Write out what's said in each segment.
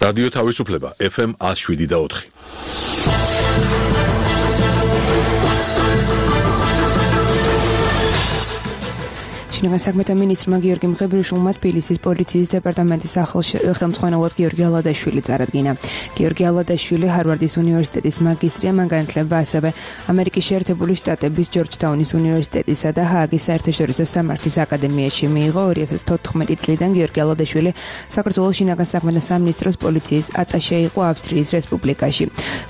რადიო თავისუფლება FM 107.4. შინაგან მინისტრმა გიორგი მღებრიშვილმა თბილისის პოლიციის დეპარტამენტის ხელმძღვანელად გიორგი ალადაშვილი წარადგინა. გიორგი ალადაშვილი ჰარვარდის უნივერსიტეტის მაგისტრია, მან განათლება ასევე ამერიკის შეერთებული შტატების ჯორჯთაუნის უნივერსიტეტისა და ჰააგის საერთაშორისო სამართლის აკადემიაში მიიღო. 2014 წლიდან გიორგი ალადაშვილი საქართველოს შინაგან საქმეთა სამინისტროს პოლიციის ატაშე იყო ავსტრიის რესპუბლიკაში.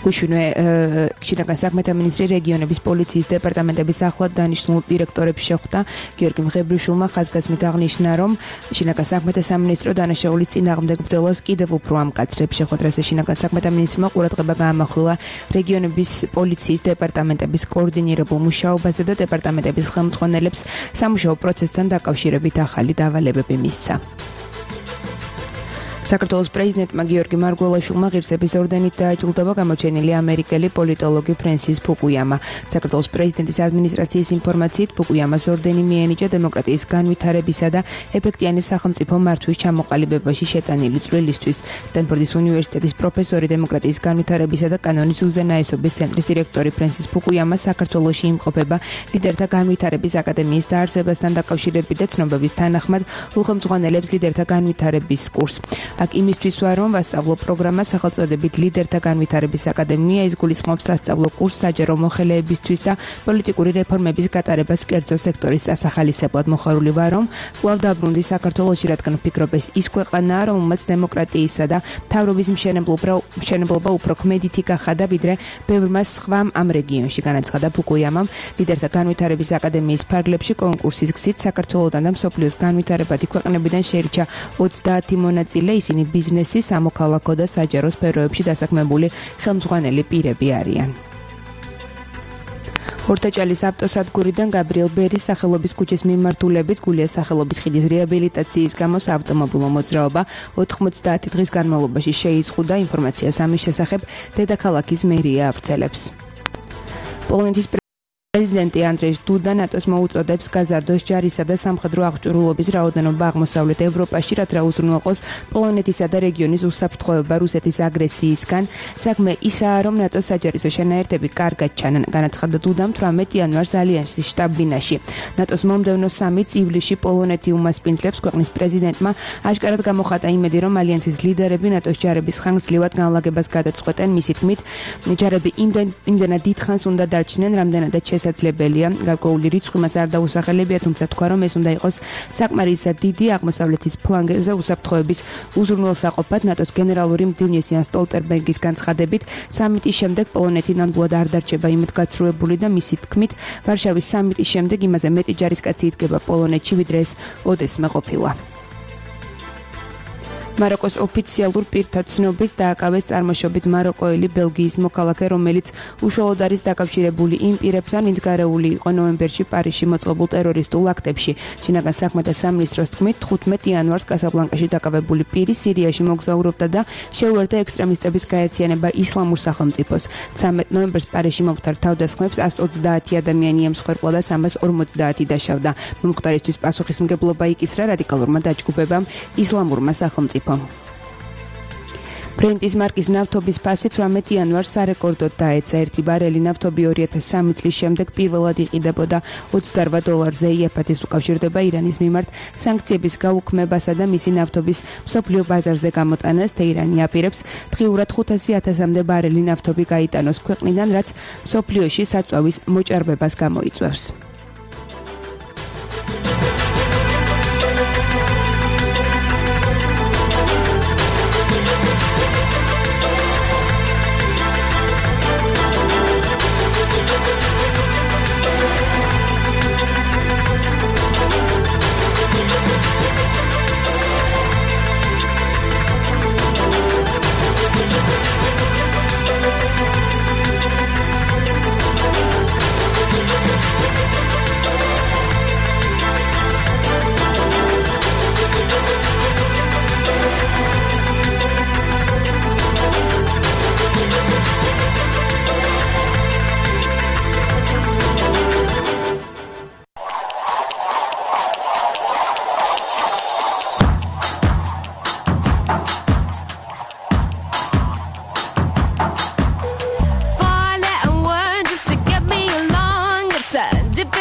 გუშინვე შინაგან საქმეთა მინისტრი რეგიონების პოლიციის დეპარტამენტების ახლად დანიშნულ დირექტორებს შეხვდა. გიორგი მღებრიშვილმა ხაზგასმით აღნიშნა, რომ შინაგან საქმეთა სამინისტრო დანაშაულის წინააღმდეგ ბრძოლას კიდევ უფრო ამკაცრებს. შეხვედრაზე შინაგან საქმეთა მინისტრმა ყურადღება გაამახვილა რეგიონების პოლიციის დეპარტამენტების კოორდინირებულ მუშაობაზე და დეპარტამენტების ხელმძღვანელებს სამუშაო პროცესთან დაკავშირებით ახალი დავალებები მისცა. საქართველოს პრეზიდენტმა გიორგი მარგველაშვილმა ღირსების ორდენით დააჯილდოვა გამოჩენილი ამერიკელი პოლიტოლოგი ფრენსის ფუკუიამა. საქართველოს პრეზიდენტის ადმინისტრაციის ინფორმაციით ფუკუიამას ორდენი მიენიჭა დემოკრატიის განვითარებისა და ეფექტიანი სახელმწიფო მართვის ჩამოყალიბებაში შეტანილი წვლილისთვის. სტენფორდის უნივერსიტეტის პროფესორი, დემოკრატიის განვითარებისა და კანონის უზენაესობის ცენტრის დირექტორი ფრენსის ფუკუიამა საქართველოში იმყოფება ლიდერთა განვითარების აკადემიის დაარსებასთან დაკავშირებით და ცნობების თანახმად უხელმძღვანელებს ლიდერთა განვითარების კურსს. აქ იმისთვის ვარ, რომ ვასწავლო პროგრამა სახელწოდებით ლიდერთა განვითარების აკადემია, ის გულისხმობს სასწავლო კურსს საჯარო მოხელეებისთვის და პოლიტიკური რეფორმების გატარებას კერძო სექტორის დასახალისებლად. მოხარული ვარ, რომ კვლავ დაბრუნდი საქართველოში, რადგან ვფიქრობ, ეს ის ქვეყანაა, რომელმაც დემოკრატიისა და მთავრობის მშენებლობა უფრო ქმედითი გახადა, ვიდრე ბევრმა სხვამ ამ რეგიონში, განაცხადა ფუკუიამამ. ლიდერთა განვითარების აკადემიის ფარგლებში კონკურსის გზით საქართველოდან და მსოფლიოს განვითარებადი ქვეყნებიდან შეირჩა 30 მონაწილე. ისინი ბიზნესი, სამოქალაქო და საჯარო სფეროებში დასაქმებული ხელმძღვანელი პირები არიან. ორტაჭალის ავტოსადგურიდან გაბრიელ ბერის სახელობის ქუჩის მიმართულებით გულიას სახელობის ხიდის რეაბილიტაციის გამო საავტომობილო მოძრაობა 90 დღის განმავლობაში შეიზღუდა. ინფორმაციას ამის შესახებ დედაქალაქის მერია ავრცელებს. პოლონეთის პრეზიდენტი ანდრეჟ დუდა ნატოს მოუწოდებს გაზარდოს ჯარისა და სამხედრო აღჭურვილობის რაოდენობა აღმოსავლეთ ევროპაში, რაც უზრუნველყოს პოლონეთისა და რეგიონის უსაფრთხოება რუსეთის აგრესიისგან. საქმე ისაა, რომ ნატოს საჯარისო შენაერთები კარგად ჩანან, განაცხადა დუდამ 18 იანვარს ალიანსის შტაბ-ბინაში. ნატოს მომდევნო სამიტს ივლისში პოლონეთი უმასპინძლებს. ქვეყნის პრეზიდენტმა აშკარად გამოხატა იმედი, რომ ალიანსის ლიდერები ნატოს ჯარების ხანგრძლივად განლაგებას გადაწყვეტენ. მისი თქმით, ჯარები იმდენად დიდხანს უნდა დარჩნენ, რამდენადაც შესაძლებელია. გარკვეული რიცხვი მას არ დაუსახელებია, თუმცა თქვა, რომ ეს უნდა იყოს საკმარისად დიდი აღმოსავლეთის ფლანგზე უსაფრთხოების უზრუნველსაყოფად. ნატოს გენერალური მდივნის იან სტოლტენბერგის განცხადებით, სამიტის შემდეგ პოლონეთი ნამდვილად არ დარჩება იმედგაცრუებული და მისი თქმით, ვარშავის სამიტის შემდეგ იმაზე მეტი ჯარისკაცი იდგება პოლონეთში, ვიდრე ეს ოდესმე ყოფილა. მაროკოს ოფიციალურ პირთა ცნობით დააკავეს წარმოშობით მაროკოელი ბელგიის მოქალაქე, რომელიც უშუალოდ არის დაკავშირებული იმ პირებთან, ვინც გარეული იყო ნოემბერში პარიზში მოწყობილ ტერორისტულ აქტებში. შინაგან საქმეთა სამინისტროს თქმით, 15 იანვარს კასაბლანკაში დაკავებული პირი სირიაში მოგზაურობდა და შეუერთდა ექსტრემისტების გაერთიანება ისლამურ სახელმწიფოს. 13 ნოემბერს პარიზში მომხდარ თავდასხმებს 130 ადამიანი ემსხვერპლა და 350 დაშავდა. მომხდარისთვის პასუხისმგებლობა იკისრა რადიკალურმა დაჯგუფებამ ისლამურმა სახელმწიფომ. ბრენტის მარკის ნავთობის ფასი 18 იანვარს სარეკორდოდ დაეცა. ერთი ბარელი ნავთობი 2003 წლის შემდეგ პირველად იყიდებოდა $28-ზე. იაფათის უკავშირდება ირანის მიმართ სანქციების გაუქმებასა და მისი ნავთობის მსოფლიო ბაზარზე გამოტანას. თეირანი აპირებს დღიურად 500,000-მდე ბარელი ნავთობი გაიტანოს ქვეყნიდან, რაც მსოფლიოში საწვავის მოჭარბებას გამოიწვევს.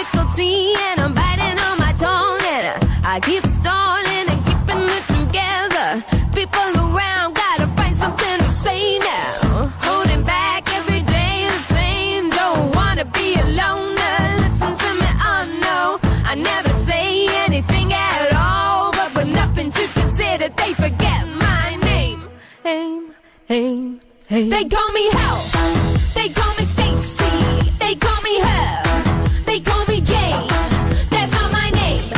difficulty and I'm biting on my tongue and I keep stalling and keeping it together. People around gotta find something to say now. Holding back every day the same. Don't wanna be alone. Listen to me, oh no. I never say anything at all, but with nothing to consider, they forget my name. They call me Hell. They call me Stacy. They call me her. They call me Jane. That's not my name.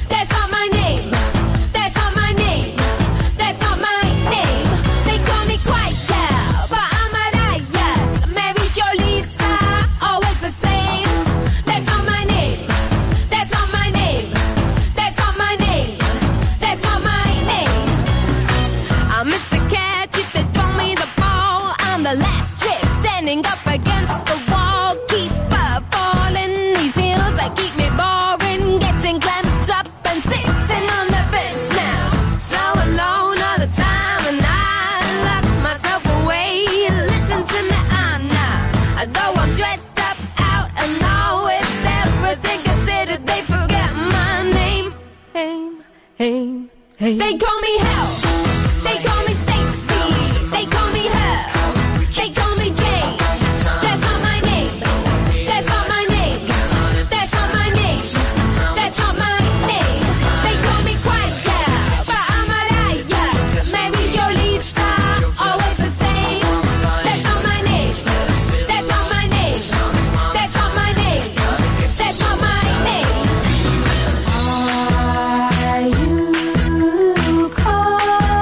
That's not my name. That's not my name. That's not my name. They call me Quiet Girl, but I'm a riot. Mary Jo Lisa, always the same. That's not my name. That's not my name. That's not my name. That's not my name. I'm Mr. Catch if they throw me the ball. I'm the last trick standing up against the wall. Keep falling these hills that keep me boring. Getting clamped up and sitting on the fence now. So alone all the time and I lock myself away. Listen to me, I'm not. Though I'm dressed up out and now with everything considered, they forget my name. They call me Hell. They call me Stacy. They call me her. They call me Jane. That's not my name. That's not my name. That's not my name. That's not my name. They call me Quiet Girl, but I'm a riot. Mary Jo Lisa, always the same. That's not my name. That's not my name. That's not my name. That's not my name. Are you calling?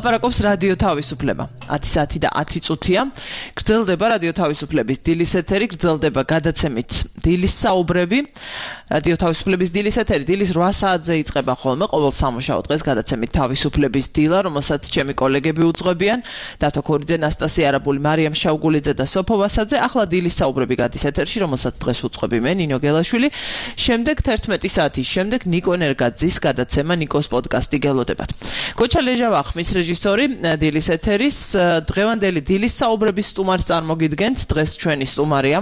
ლაპარაკობს რადიო თავისუფლება. 10 საათი და 10 წუთია. გრძელდება რადიო თავისუფლების დილის ეთერი, გრძელდება გადაცემით დილის საუბრები. რადიო თავისუფლების დილის ეთერი დილის 8 საათზე იწყება ხოლმე ყოველ სამუშაო დღეს გადაცემით თავისუფლების დილა, რომელსაც ჩემი კოლეგები უძღვებიან. დათო ქორიძე, ნასტასია არაბული, მარიამ შავგულიძე და სოფო ვასაძე. ახლა დილის საუბრები გადის ეთერში, რომელსაც დღეს უძღვები მე, ნინო გელაშვილი. შემდეგ 11 საათის შემდეგ ნიკო ნერგაძის გადაცემა ნიკოს პოდკასტი გელოდებათ. გოჩა ლეჟავა ხმის რეჟისორი დილის ეთერის დღევანდელი დილის საუბრების სტუმარს წარმოგიდგენთ. დღეს ჩვენი სტუმარია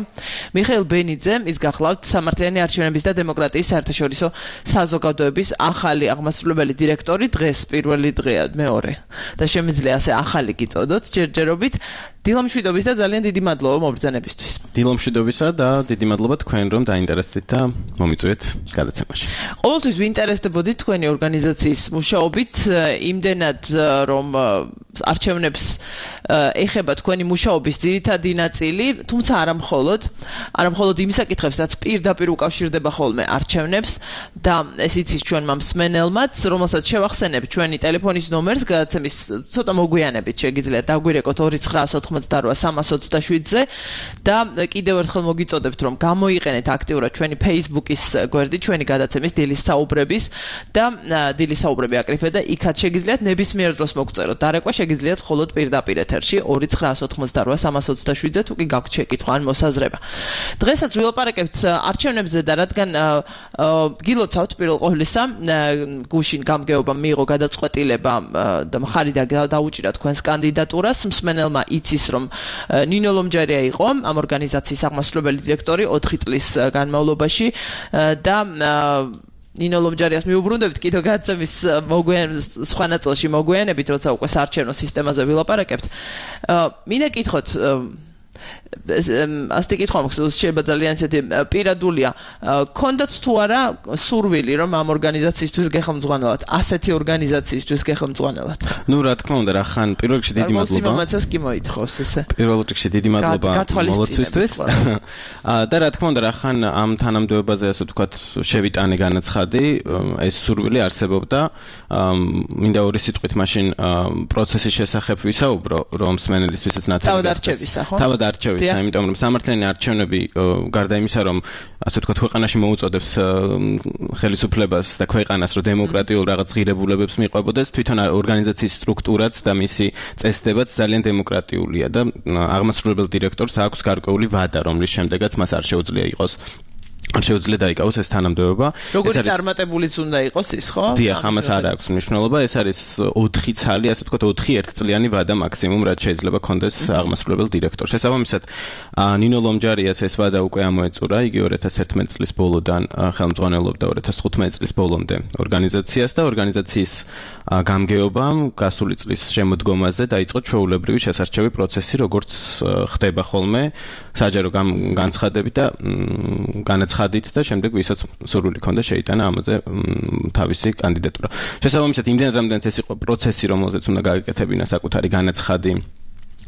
მიხეილ ბენიძე, ის გახლავთ სამართლიანი არჩევნების და დემოკრატიის საერთაშორისო საზოგადოების ახალი აღმასრულებელი დირექტორი. დღეს პირველი დღეა, მეორე და შემიძლია ასე ახალი გიწოდოთ ჯერჯერობით. დილამშვიდობის და ძალიან დიდი მადლობა მობრძანებისთვის. დილამშვიდობისა და დიდი მადლობა თქვენ რომ დაინტერესდით და მომიწვიეთ გადაცემაში. ყოველთვის ვინტერესდებოდით თქვენი ორგანიზაციის მუშაობით, იმდენად რომ არჩევნებს ეხება თქვენი მუშაობის ძირითადი ნაწილი, თუმცა არა მხოლოდ იმ საკითხებს, რაც პირდაპირ უკავშირდება ხოლმე არჩევნებს და ეს იცის ჩვენმა მსმენელმაც, რომელსაც შევახსენებ ჩვენი ტელეფონის ნომერს გადაცემის ცოტა მოგვიანებით შეგიძლიათ დაგვირეკოთ 2988327-ზე და კიდევ ერთხელ მოგიწოდებთ რომ გამოიყენეთ აქტიურად ჩვენი Facebook-ის გვერდი, ჩვენი გადაცემის დილის საუბრების და დილის საუბრები აკრიფეთ და იქაც შეგიძლიათ ნებისმიერ დროს მოგწეროთ დარეკვა, შეგიძლიათ მხოლოდ პირდაპირ ეთერში 2988327-ზე თუ კი გაქვთ შეკითხვა ან მოსაზრება. დღესაც ვილაპარაკებთ არჩევნებზე და რადგან გილოცავთ პირველ ყოვლისა, გუშინ გამგეობამ მიიღო გადაწყვეტილება და მხარი დაუჭირა თქვენს კანდიდატურას. მსმენელმა იცის რომ ნინო ლომჯარია იყო ამ ორგანიზაციის აღმასრულებელი დირექტორი 4 წლის განმავლობაში და ნინო ლომჯარიას მიუბრუნდებით კიდევ გადაცემის სხვა ნაწილში მოგვიანებით, როცა უკვე საარჩევნო სისტემაზე ვილაპარაკებთ. მინდა კითხოთ ასეთი კითხვა მაქვს, შეიძლება ძალიან ისეთი პირადულია. გქონდათ თუ არა სურვილი რომ ამ ორგანიზაციისთვის გეხმძღვანელოთ, ასეთი ორგანიზაციისთვის გეხმძღვანელოთ? ნუ რა თქმა უნდა, რა ხან პირველ რიგში დიდი მადლობა. სიმამაცას კი მოითხოვს ესე. პირველ რიგში დიდი მადლობა მოლოცვისთვის. და რა თქმა უნდა, რა ხან ამ თანამდებობაზე ასე ვთქვათ შევიტანე განაცხადი, ეს სურვილი არსებობდა. მინდა ორი სიტყვით მაშინ პროცესის შესახებ ვისაუბრო, რომ მსმენელისთვისაც ნათელი თავად არჩევისა, ხო? თავად არჩევისა, იმიტომ რომ სამართლიანი არჩევნები გარდა იმისა, რომ ასე ვთქვათ ქვეყანაში მოუწოდებს ხელისუფლებას და ქვეყანას, რომ დემოკრატიულ რაღაც ღირებულებებს მიყვებოდეს, თვითონ ორგანიზაციის სტრუქტურაც და მისი წესდებაც ძალიან დემოკრატიულია და აღმასრულებელ დირექტორს აქვს გარკვეული ვადა, რომლის შემდეგაც მას არ შეუძლია იყოს შეუძლია დაიკავოს ეს თანამდებობა. როგორიც წარმატებულიც უნდა იყოს ის, ხო? დიახ, ამას არ აქვს მნიშვნელობა. ეს არის 4 ცალი, ასე ვთქვათ 4 ერთწლიანი ვადა მაქსიმუმ, რაც შეიძლება კონდეს აღმასრულებელ დირექტორს. შესაბამისად, ნინო ლომჯარიას ეს ვადა უკვე ამოეწურა, იგი 2011 წლის ბოლოდან ხელმძღვანელობდა 2015 წლის ბოლომდე ორგანიზაციას და ორგანიზაციის გამგეობამ გასული წლის შემოდგომაზე დაიწყო ჩვეულებრივი შესარჩევი პროცესი, როგორც ხდება ხოლმე საჯარო განცხადებით და განაცხადით და შემდეგ ვისაც სურვილი ჰქონდა შეიტანა ამაზე თავისი კანდიდატურა. შესაბამისად, იმდენად რამდენიც ეს იყო პროცესი, რომელზეც უნდა გააკეთებინა საკუთარი განაცხადი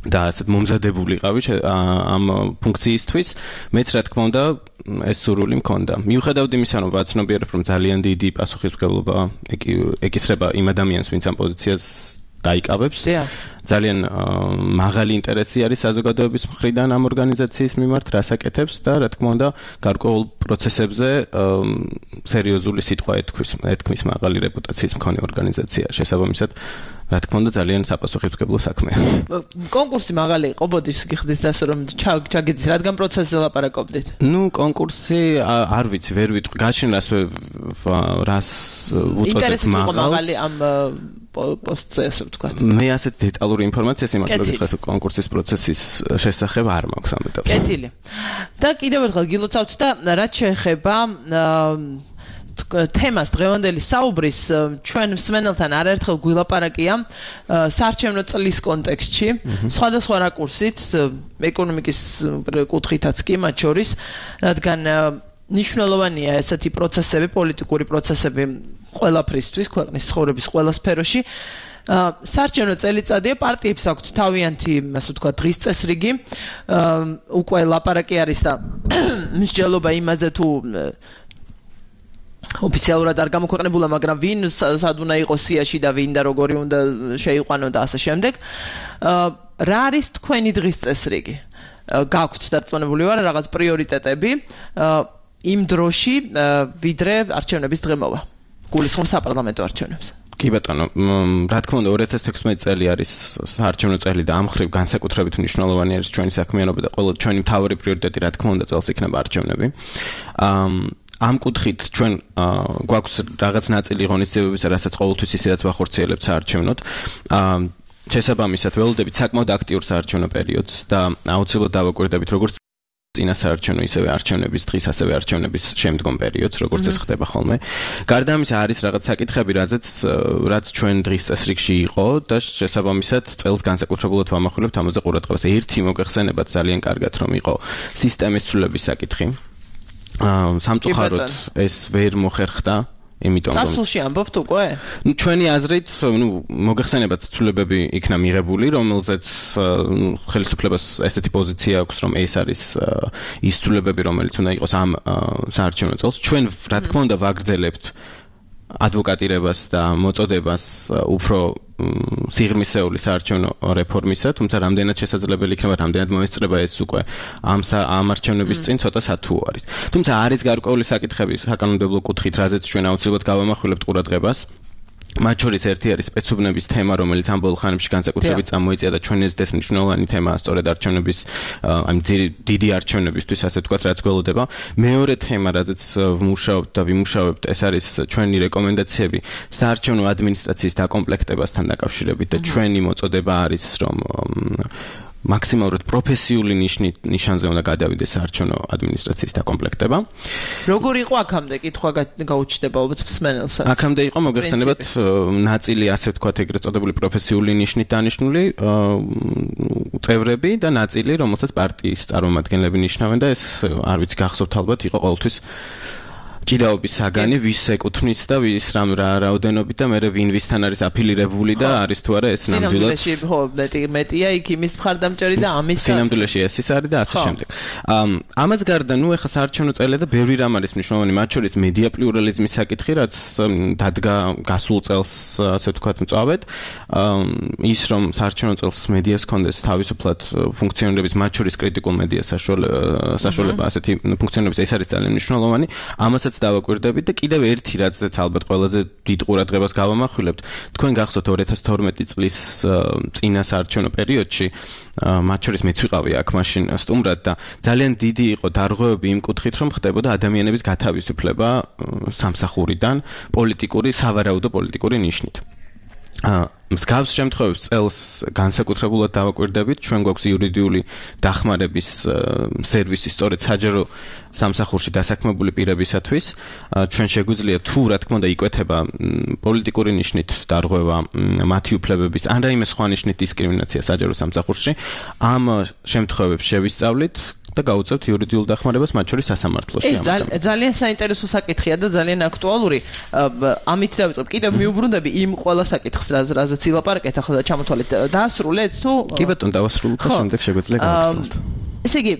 და ასეთ მომზადებულიყავი ამ ფუნქციისთვის, მეც რა თქმა უნდა ეს სურვილი მქონდა. მიუხედავად იმისა, რომ ვაცნობიერებ, რომ ძალიან დიდი პასუხისმგებლობა ეკისრება იმ ადამიანს, ვინც ამ პოზიციას დაიკავებს. ძალიან მაღალი ინტერესი არის საზოგადოების მხრიდან ამ ორგანიზაციის მიმართ, რას აკეთებს და რა თქმა უნდა გარკვეულ პროცესებზე სერიოზული სიტყვა ეთქმის მაღალი რეპუტაციის მქონე ორგანიზაცია. შესაბამისად, რა თქმა უნდა ძალიან საპასუხისმგებლო საქმეა. კონკურსი მაღალი იყო, ბოდის გიხდით ასე რომ ჩაგეძის, რადგან პროცესზე ლაპარაკობდით? ნუ კონკურსი არ ვიცი, ვერ ვიტყვი, გაშინ რას უწოდებ ინტერესი იყო მაღალი ამ პოსტზე, ასე ვთქვათ. მე ასეთ დეტალური ინფორმაცია სიმართლე კონკურსის პროცესის შესახებ არ მაქვს ამიტომ. კეთილი. და კიდევ ერთხელ გილოცავთ და რაც შეეხება თემას დღევანდელი საუბრის ჩვენ მსმენელთან არაერთხელ გვილაპარაკია საარჩევნო წლის კონტექსტში, სხვადასხვა რაკურსით, ეკონომიკის კუთხითაც კი მათ შორის, რადგან ნიშნულოვანია ესეთი პროცესები, პოლიტიკური პროცესები ყველაფრისთვის, ქვეყნის ცხოვრების ყველა სფეროში. საარჩევნო წელიწადია, პარტიებს აქვთ თავიანთი, ასე ვთქვათ, დღის წესრიგი. უკვე ლაპარაკი არის და მსჯელობა იმაზე თუ ოფიციალურად არ გამოქვეყნებულა, მაგრამ ვინ სად უნდა იყოს სიაში და ვინ და როგორი უნდა შეიყვანო და ასე შემდეგ. რა არის თქვენი დღის წესრიგი? გაქვთ დარწმუნებული ვარ რაღაც პრიორიტეტები იმ დროში, ვიდრე არჩევნების დღემოვა. გულისხმობ საპარლამენტო არჩევნებს. კი ბატონო, რა თქმა უნდა 2016 წელი არის საარჩევნო წელი და ამ ხრივ განსაკუთრებით მნიშვნელოვანი არის ჩვენი საქმიანობა და ყველა ჩვენი მთავარი პრიორიტეტი რა თქმა უნდა წელს იქნება არჩევნები. ამ კუთხით ჩვენ გვაქვს რაღაც ნაწილი ღონისძიებებისა, რასაც ყოველთვის ისედაც ვახორციელებთ საარჩევნოდ. შესაბამისად ველოდებით საკმაოდ აქტიურ საარჩევნო პერიოდს და აუცილებლად დავაკვირდებით როგორც წინა საარჩევნო ისევე არჩევნების დღის, ასევე არჩევნების შემდგომ პერიოდს, როგორც ეს ხდება ხოლმე. გარდა ამისა არის რაღაც საკითხები, რაც ჩვენ დღის წესრიგში იყო და შესაბამისად წელს განსაკუთრებულად ვამახვილებთ ამაზე ყურადღებას. ერთი მოგეხსენებათ ძალიან კარგად რომ იყო სისტემის ცვლილების საკითხი. სამწუხაროდ ეს ვერ მოხერხდა. იმიტომ რომ წასულში ამბობთ უკვე? ჩვენი აზრით, მოგეხსენებათ ცვლილებები იქნა მიღებული, რომელზეც ხელისუფლებას ესეთი პოზიცია აქვს, რომ ეს არის ის ცვლილებები, რომელიც უნდა იყოს ამ საარჩევნო წელს. ჩვენ რა თქმა უნდა ვაგრძელებთ ადვოკატირებას და მოწოდებას უფრო სიღრმისეული საარჩევნო რეფორმისა, თუმცა რამდენად შესაძლებელი იქნება, რამდენად მოესწრება ეს უკვე ამ არჩევნების წინ ცოტა სათუო არის. თუმცა არის გარკვეული საკითხები საკანონმდებლო კუთხით, რაზეც ჩვენ აუცილებლად გავამახვილებთ ყურადღებას. მათ შორის ერთი არის სპეცუბნების თემა, რომელიც ამ ბოლო ხანებში განსაკუთრებით წამოიწია და ჩვენ ეს მნიშვნელოვანი თემაა სწორედ არჩევნების, ამ დიდი არჩევნებისთვის, ასე ვთქვათ, რაც გველოდება. მეორე თემა, რაზეც ვმუშაობთ და ვიმუშავებთ, ეს არის ჩვენი რეკომენდაციები საარჩევნო ადმინისტრაციის დაკომპლექტებასთან დაკავშირებით და ჩვენი მოწოდება არის, რომ მაქსიმალურად პროფესიული ნიშანზე უნდა გადავიდეს საარჩევნო ადმინისტრაციის დაკომპლექტება. როგორ იყო აქამდე კითხვა გაუჩნდება მსმენელსაც? აქამდე იყო მოგეხსენებათ ნაწილი, ასე ვთქვათ, ეგრეთ წოდებული პროფესიული ნიშნით დანიშნული წევრები და ნაწილი, რომელსაც პარტიის წარმომადგენლები ნიშნავენ და ეს არ ვიცი გახსოვთ ალბათ, იყო ყოველთვის ჭიდაობის საგანი, ვის ეკუთვნის და ვის რა რაოდენობით და მე ვინ ვისთან არის აფილირებული და არის თუ არა ეს ნამდვილად. სინამდვილეში მეტია იქ იმის მხარდამჭერი და ამის სინამდვილეში ეს არის და ასე შემდეგ. ამას გარდა, ეხა საარჩევნო წელი და ბევრი რამ არის მნიშვნელოვანი, მათ შორის მედია პლურალიზმის საკითხი, რაც დადგა გასულ წელს, ასე ვთქვათ, მწვავედ. ის რომ საარჩევნო წელს მედიას ჰქონდეს თავისუფლად ფუნქციონირების, მათ შორის კრიტიკულ მედიას საშუალება ასეთი ფუნქციონირების, ეს არის ძალიან მნიშვნელოვანი. ამასაც დავაკვირდებით და კიდევ ერთი რაცაც ალბათ ყველაზე დიდ ყურადღებას გავამახვილებთ, თქვენ გახსოვთ 2012 წლის წინა საარჩევნო პერიოდში, მათ შორის მეც ვიყავი აქ მაშინ სტუმრად და ძალიან დიდი იყო დარღვევები იმ კუთხით, რომ ხდებოდა ადამიანების გათავისუფლება სამსახურიდან სავარაუდო პოლიტიკური ნიშნით. მსგავს შემთხვევებს წელს განსაკუთრებულად დავაკვირდებით, ჩვენ გვაქვს იურიდიული დახმარების სერვისი სწორედ საჯარო სამსახურში დასაქმებული პირებისათვის. ჩვენ შეგვიძლია თუ რა თქმა უნდა იკვეთება პოლიტიკური ნიშნით დარღვევა, მათი უფლებების ან რაიმე სხვა ნიშნით დისკრიმინაცია საჯარო სამსახურში, ამ შემთხვევებს შევისწავლით და გავუწევთ იურიდიულ დახმარებას, მათ შორის სასამართლოში. ეს ძალიან საინტერესო საკითხია და ძალიან აქტუალური. ამით დავიწყებ. კიდევ მიუბრუნდები იმ ყველა საკითხს, რაზეც ილაპარაკეთ ახლა და ჩამოთვალეთ. დაასრულეთ თუ? კი ბატონო, დავასრულეთ და შემდეგ შეგვიძლია გავაგრძელოთ. ესე იგი,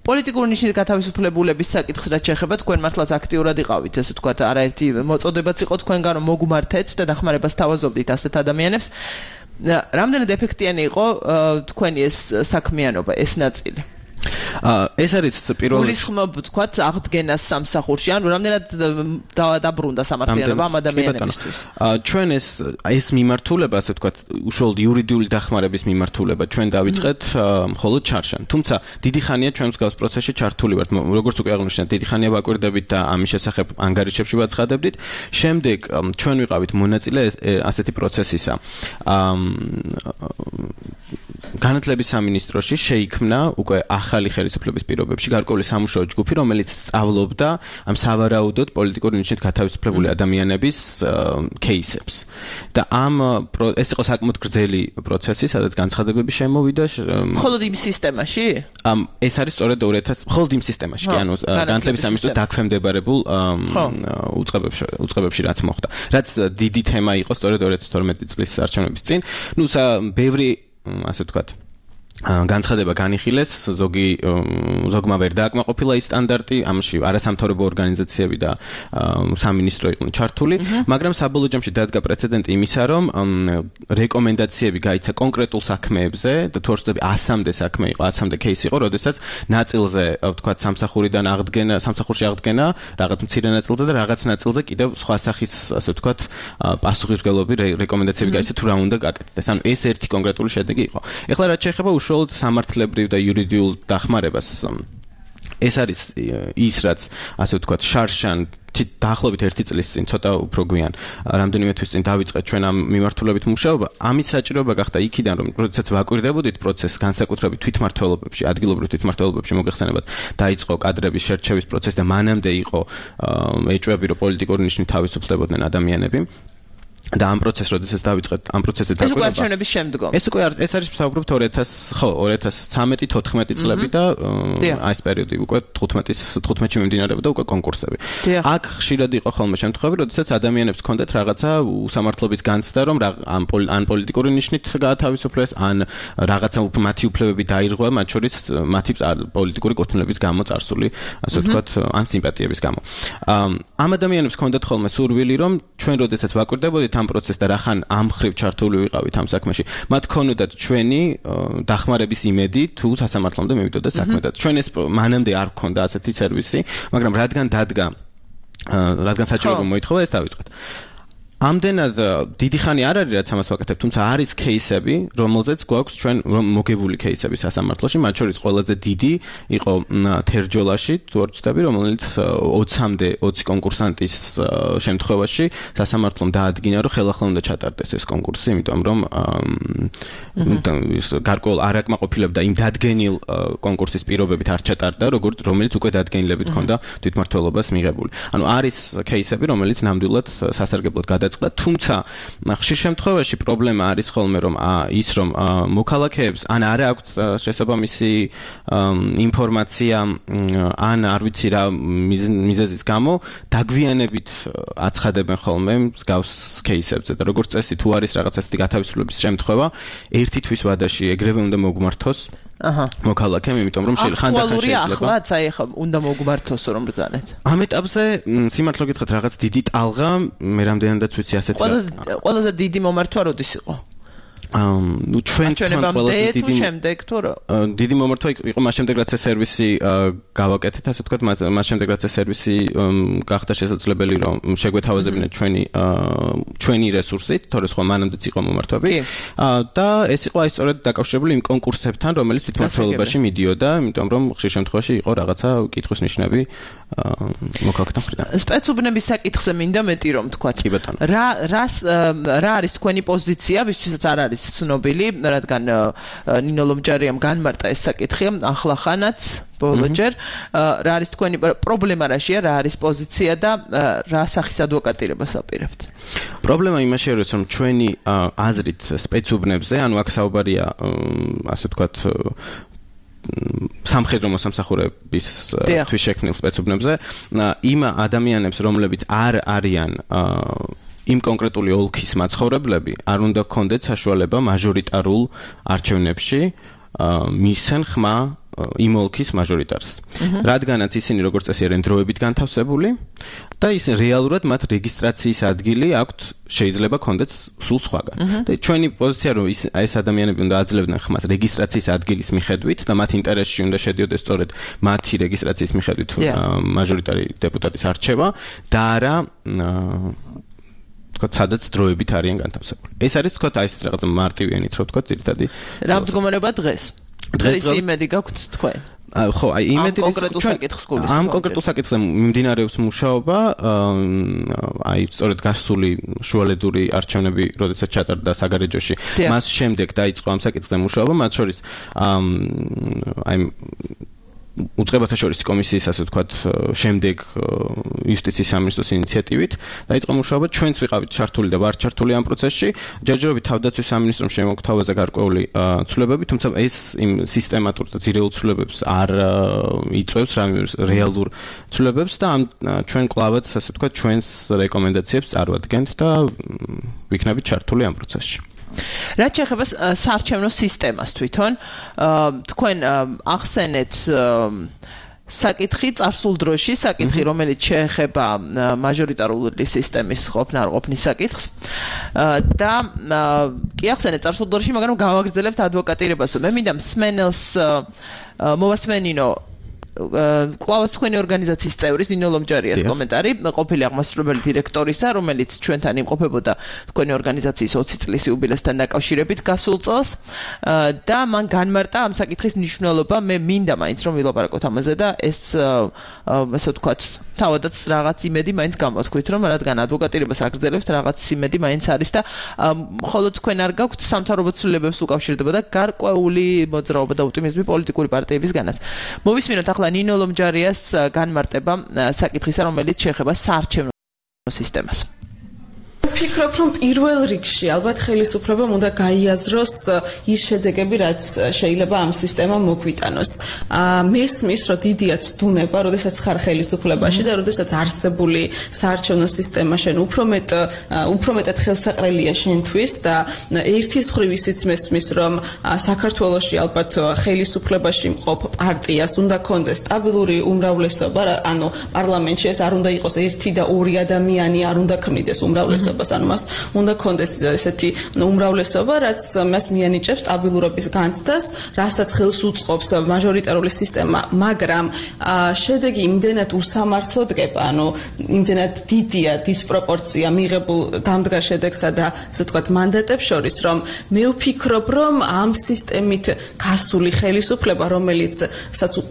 პოლიტიკური ნიშნით გათავისუფლებულების საკითხს რაც შეეხება, თქვენ მართლაც აქტიურად იყავით, ესე ვთქვათ, არაერთი მოწოდებაც იყო თქვენგან, რომ მოგმართეთ და დახმარებას თავაზობდით ასეთ ადამიანებს. რამდენად ეფექტიანი იყო თქვენი ეს საქმიანობა, ეს ნაწილი? ეს არის პირველი გულისხმობ ვთქვათ აღდგენას სამსახურში, ანუ რამდენად დაბრუნდა სამართლიანობა ამ ადამიანებისთვის. ჩვენ ეს მიმართულება, ასე ვთქვათ, უშუალოდ იურიდიული დახმარების მიმართულება ჩვენ დავიწყეთ მხოლოდ ჩარშან. თუმცა დიდი ხანია ჩვენ მსგავს პროცესში ჩართული ვართ. როგორც უკვე აღნიშნეთ, დიდი ხანია ვაკვირდებით და ამის შესახებ ანგარიშებში ვაცხადებდით. შემდეგ ჩვენ ვიყავით მონაწილე ასეთი პროცესისა. განათლების სამინისტროში შეიქმნა უკვე ახალი ხელისუფლების პირობებში გარკვეული სამუშაო ჯგუფი, რომელიც სწავლობდა ამ სავარაუდოდ პოლიტიკური ნიშნით გათავისუფლებული ადამიანების кейსებს. და ეს იყო საკმაოდ გრძელი პროცესი, სადაც განცხადებები შემოვიდა. მხოლოდ იმ სისტემაში? ეს არის სწორედ 2000 მხოლოდ იმ სისტემაში, ანუ განათლების სამინისტროს დაქვემდებარებულ უწყებებში რაც მოხდა. რაც დიდი თემა იყო სწორედ 2012 წლის არჩევნების წინ. ბევრი ასე ვთქვათ, განცხადება განიხილეს, ზოგმა ვერ დააკმაყოფილა ის სტანდარტი, ამაში არასამთავრობო ორგანიზაციები და სამინისტრო იყვნენ ჩართული, მაგრამ საბოლოო ჯამში დადგა პრეცედენტი იმისა, რომ რეკომენდაციები გაიცა კონკრეტულ საქმეებზე და თუ არ ვცდები 100-მდე საქმე იყო, 100-მდე кейსი იყო, როდესაც ნაწილზე, ვთქვათ, სამსახურში აღდგენა, რაღაც მცირე ნაწილზე და რაღაც ნაწილზე კიდევ სხვა სახის, ასე ვთქვათ, პასუხისმგებლობი რეკომენდაციები გაიცა თუ რა უნდა გაკეთდეს. ანუ ეს ერთი კონკრეტული შედეგი იყო. ეხლა რაც შეეხება უშუალოდ სამართლებრივ და იურიდიულ დახმარებას, ეს არის ის, რაც ასე ვთქვათ, შარშან დაახლოებით 1 წლის წინ, ცოტა უფრო გვიან, რამდენიმე თვის წინ დავიწყეთ ჩვენ ამ მიმართულებით მუშაობა. ამის საჭიროება გახდა იქიდან, რომ როდესაც ვაკვირდებოდით პროცესს განსაკუთრებით თვითმმართველობებში, ადგილობრივ თვითმმართველობებში მოგეხსენებათ, დაიწყო კადრების შერჩევის პროცესი და მანამდე იყო ეჭვები, რომ პოლიტიკური ნიშნით თავისუფლებოდნენ ადამიანები. და ამ პროცესს როდესაც დავიწყეთ, ამ პროცესზე დაკვირდება. ეს უკვე არჩევნების შემდგომ. ეს არის საუბრობთ 2013-14 წლები და აი ეს პერიოდი უკვე 15-ში მიმდინარეობდა და უკვე კონკურსები. აქ ხშირად იყო ხოლმე შემთხვევები, როდესაც ადამიანებს ჰქონდათ რაღაცა უსამართლობის განცდა, რომ ან პოლიტიკური ნიშნით გაათავისუფლეს, ან რაღაცა მათი უფლებები დაირღვა, მათ შორის მათი პოლიტიკური კუთვნილების გამო წარსული, ასე ვთქვათ, ან სიმპათიების გამო. ამ ადამიანებს ჰქონდათ ხოლმე სურვილი, რომ ჩვენ როდესაც ვაკვირდებოდით ამ პროცესს და რახან ამ ხრივ ჩართული ვიყავით ამ საქმეში, მათ ქონოდათ ჩვენი დახმარების იმედი თუ სასამართლომდე მივიდოდა საქმე და ჩვენ ეს მანამდე არ გქონდა ასეთი სერვისი, მაგრამ რადგან საჭიროება მოითხოვა, ეს დავიწყეთ. ამდენად დიდი ხანი არ არის რაც ამას ვაკეთებ, თუმცა არის кейსები, რომელზეც გვაქვს ჩვენ მოგებული кейსები სასამართლოში, მათ შორის ყველაზე დიდი იყო თერჯოლაში, თუ არ ვცდები, რომელიც 20-მდე 20 კონკურსანტის შემთხვევაში სასამართლომ დაადგინა, რომ ხელახლა უნდა ჩატარდეს ეს კონკურსი, იმიტომ რომ გარკვეულ არაკმაყოფილებდა იმ დადგენილ კონკურსის პირობებით არ ჩატარდა, რომელიც უკვე დადგენილებით ჰქონდა თვითმმართველობას მიღებული. ანუ არის кейსები, რომელიც ნამდვილად სასარგებლოდ თუმცა ხშირ შემთხვევაში პრობლემა არის ხოლმე რომ მოქალაქეებს ან არ აქვთ შესაბამისი ინფორმაცია ან არ ვიცი რა მიზეზის გამო დაგვიანებით აცხადებენ ხოლმე მსგავს кейსებზე და როგორც წესი თუ არის რაღაცა ასეთი გათავისუფლების შემთხვევა ერთი თვის ვადაში ეგრევე უნდა მოგმართოს მოქალაქემ, იმიტომ რომ ხანდახან შეიძლება. ახლაც აი ხა უნდა მოგმართოსო რომ ბრძანეთ. ამ ეტაპზე სიმართლე გითხრათ რაღაც დიდი ტალღა, მე რამდენადაც ვიცი ასეთი. ყველაზე დიდი მომართვა როდის იყო? ნუ ჩვენთან ყველაზე დიდი შემდეგ თუ რა? დიდი მომართვა იყო მას შემდეგ რაც ეს სერვისი გავაკეთეთ, ასე ვთქვათ, მას შემდეგ რაც ეს სერვისი გახდა შესაძლებელი რომ შეგვეთავაზებინეთ ჩვენი რესურსით, თორე სხვა მანამდეც იყო მომართვები. და ეს იყო აი სწორედ დაკავშირებული იმ კონკურსებთან, რომელიც თვითმმართველობაში მიდიოდა, იმიტომ რომ ხშირ შემთხვევაში იყო რაღაცა კითხვის ნიშნები მოქალაქეთა მხრიდან. სპეცუბნების საკითხზე მინდა მეტი რომ ვთქვათ. რა არის თქვენი პოზიცია, ვისთვისაც არ არის ცნობილი, რადგან ნინო ლომჯარიამ განმარტა ეს საკითხი, ახლახანაც ბოლოჯერ, რა არის თქვენი პრობლემა რაშია, რა არის პოზიცია და რა სახის ადვოკატირებას აპირებთ? პრობლემა იმაში არის, რომ ჩვენი აზრით სპეცუბნებზე, ანუ აქ საუბარია, ასე ვთქვათ, სამხედრო მოსამსახურების თვის შექმნილ სპეცუბნებზე, იმ ადამიანებს, რომლებიც არ არიან იმ კონკრეტული ოლქის მაცხოვრებლები, არ უნდა ჰქონდეთ საშუალება მაჟორიტარულ არჩევნებში მისცენ ხმა იმ ოლქის მაჟორიტარს. რადგანაც ისინი როგორც წესი არიან დროებით განთავსებული და ის რეალურად მათ რეგისტრაციის ადგილი აქვთ, შეიძლება ჰქონდეთ სულ სხვაგან. და ჩვენი პოზიცია რომ ეს ადამიანები უნდა აძლევდნენ ხმას რეგისტრაციის ადგილის მიხედვით და მათ ინტერესში უნდა შედიოდეს სწორედ მათი რეგისტრაციის მიხედვით მაჟორიტარი დეპუტატის არჩევა და არა თქვა სადაც დროებით არიან განთავსებული. ეს არის თქვა აი ეს რაღაც მარტივიანით რო თქვა ძირითადი. რა მდგომარეობა დღეს? დღეს იმედი გაქვთ თქვენ? ხო, აი იმედი კონკრეტულ საკითხს გულისხმობთ. ამ კონკრეტულ საკითხზე მიმდინარეობს მუშაობა, აი სწორედ გასული შუალედური არჩევნები, როდესაც ჩატარდა საგარეჯოში, მას შემდეგ დაიწყო ამ საკითხზე მუშაობა, მათ შორის აი უწყებათა შორის კომისიის, ასე ვთქვათ, შემდეგ იუსტიციის სამინისტროს ინიციატივით დაიწყო მუშაობა. ჩვენც ვიყავით ჩართული და ვართ ჩართული ამ პროცესში. ჯერჯერობით თავდაცვის სამინისტრომ შემოგთავაზა გარკვეული ცვლილებები, თუმცა ეს იმ სისტემატურ და ძირეულ ცვლილებებს არ იწვევს რეალურ ცვლილებებს და ჩვენ კლავაც, ასე ვთქვათ, ჩვენს რეკომენდაციებს წარვადგენთ და ვიქნებით ჩართული ამ პროცესში. რაც შეეხება საარჩევნო სისტემას თვითონ, თქვენ ახსენეთ საკითხი წარსულ დროში, საკითხი, რომელიც შეეხება მაჟორიტარული სისტემის ყოფნა არ ყოფნის საკითხს და კი ახსენეთ წარსულ დროში, მაგრამ გავაგრძელებთ ადვოკატირებას. მე მინდა მსმენელს მოვასმენინო კლავას თქვენი ორგანიზაციის წევრის ნინო ლომჯარიას კომენტარი, ყოფილი აღმასრულებელი დირექტორისა, რომელიც ჩვენთან იმყოფებოდა თქვენი ორგანიზაციის 20 წლის იუბილესთან დაკავშირებით გასულ წელს და მან განმარტა ამ საკითხის მნიშვნელობა. მე მინდა მაინც რომ ვილაპარაკოთ ამაზე და ეს ასე ვთქვათ, თავადაც რაღაც იმედი მაინც გამოთქვით, რომ რადგან ადვოკატირებას აგრძელებთ, რაღაც იმედი მაინც არის და მხოლოდ თქვენ არ გაქვთ სამთავრობო ცვლილებებს უკავშირდება და გარკვეული მოძრაობა და ოპტიმიზმი პოლიტიკური პარტიებისგანაც. მოვისმინოთ ახლა ნინო ლომჯარიას განმარტება საკითხისა, რომელიც შეეხება საარჩევნო სისტემას. ვფიქრობ, რომ პირველ რიგში ალბათ ხელისუფლებამ უნდა გაიაზროს ის შედეგები, რაც შეიძლება ამ სისტემამ მოგვიტანოს. მესმის, რომ დიდია ცდუნება, როდესაც ხარ ხელისუფლებაში და როდესაც არსებული საარჩევნო სისტემა შენ უფრო მეტად ხელსაყრელია შენთვის და ერთის მხრივ ისიც მესმის, რომ საქართველოში ალბათ ხელისუფლებაში მყოფ პარტიას უნდა კონდეს სტაბილური უმრავლესობა, ანუ პარლამენტში ეს არ უნდა იყოს ერთი და ორი ადამიანი, არ უნდა ქმნიდეს უმრავლესობა. ანუ მას უნდა კონდეს ესეთი უმრავლესობა, რაც მას მიანიჭებს სტაბილურობის განცდას, რასაც ხელს უწყობს მაჟორიტარული სისტემა, მაგრამ შედეგი იმდენად უსამართლო დგება, ანუ იმდენად დიდია დისპროპორცია მიღებულ დამდგარ შედეგსა და ასე ვთქვათ მანდატებს შორის, რომ მე ვფიქრობ, რომ ამ სისტემით გასული ხელისუფლება, რომელიც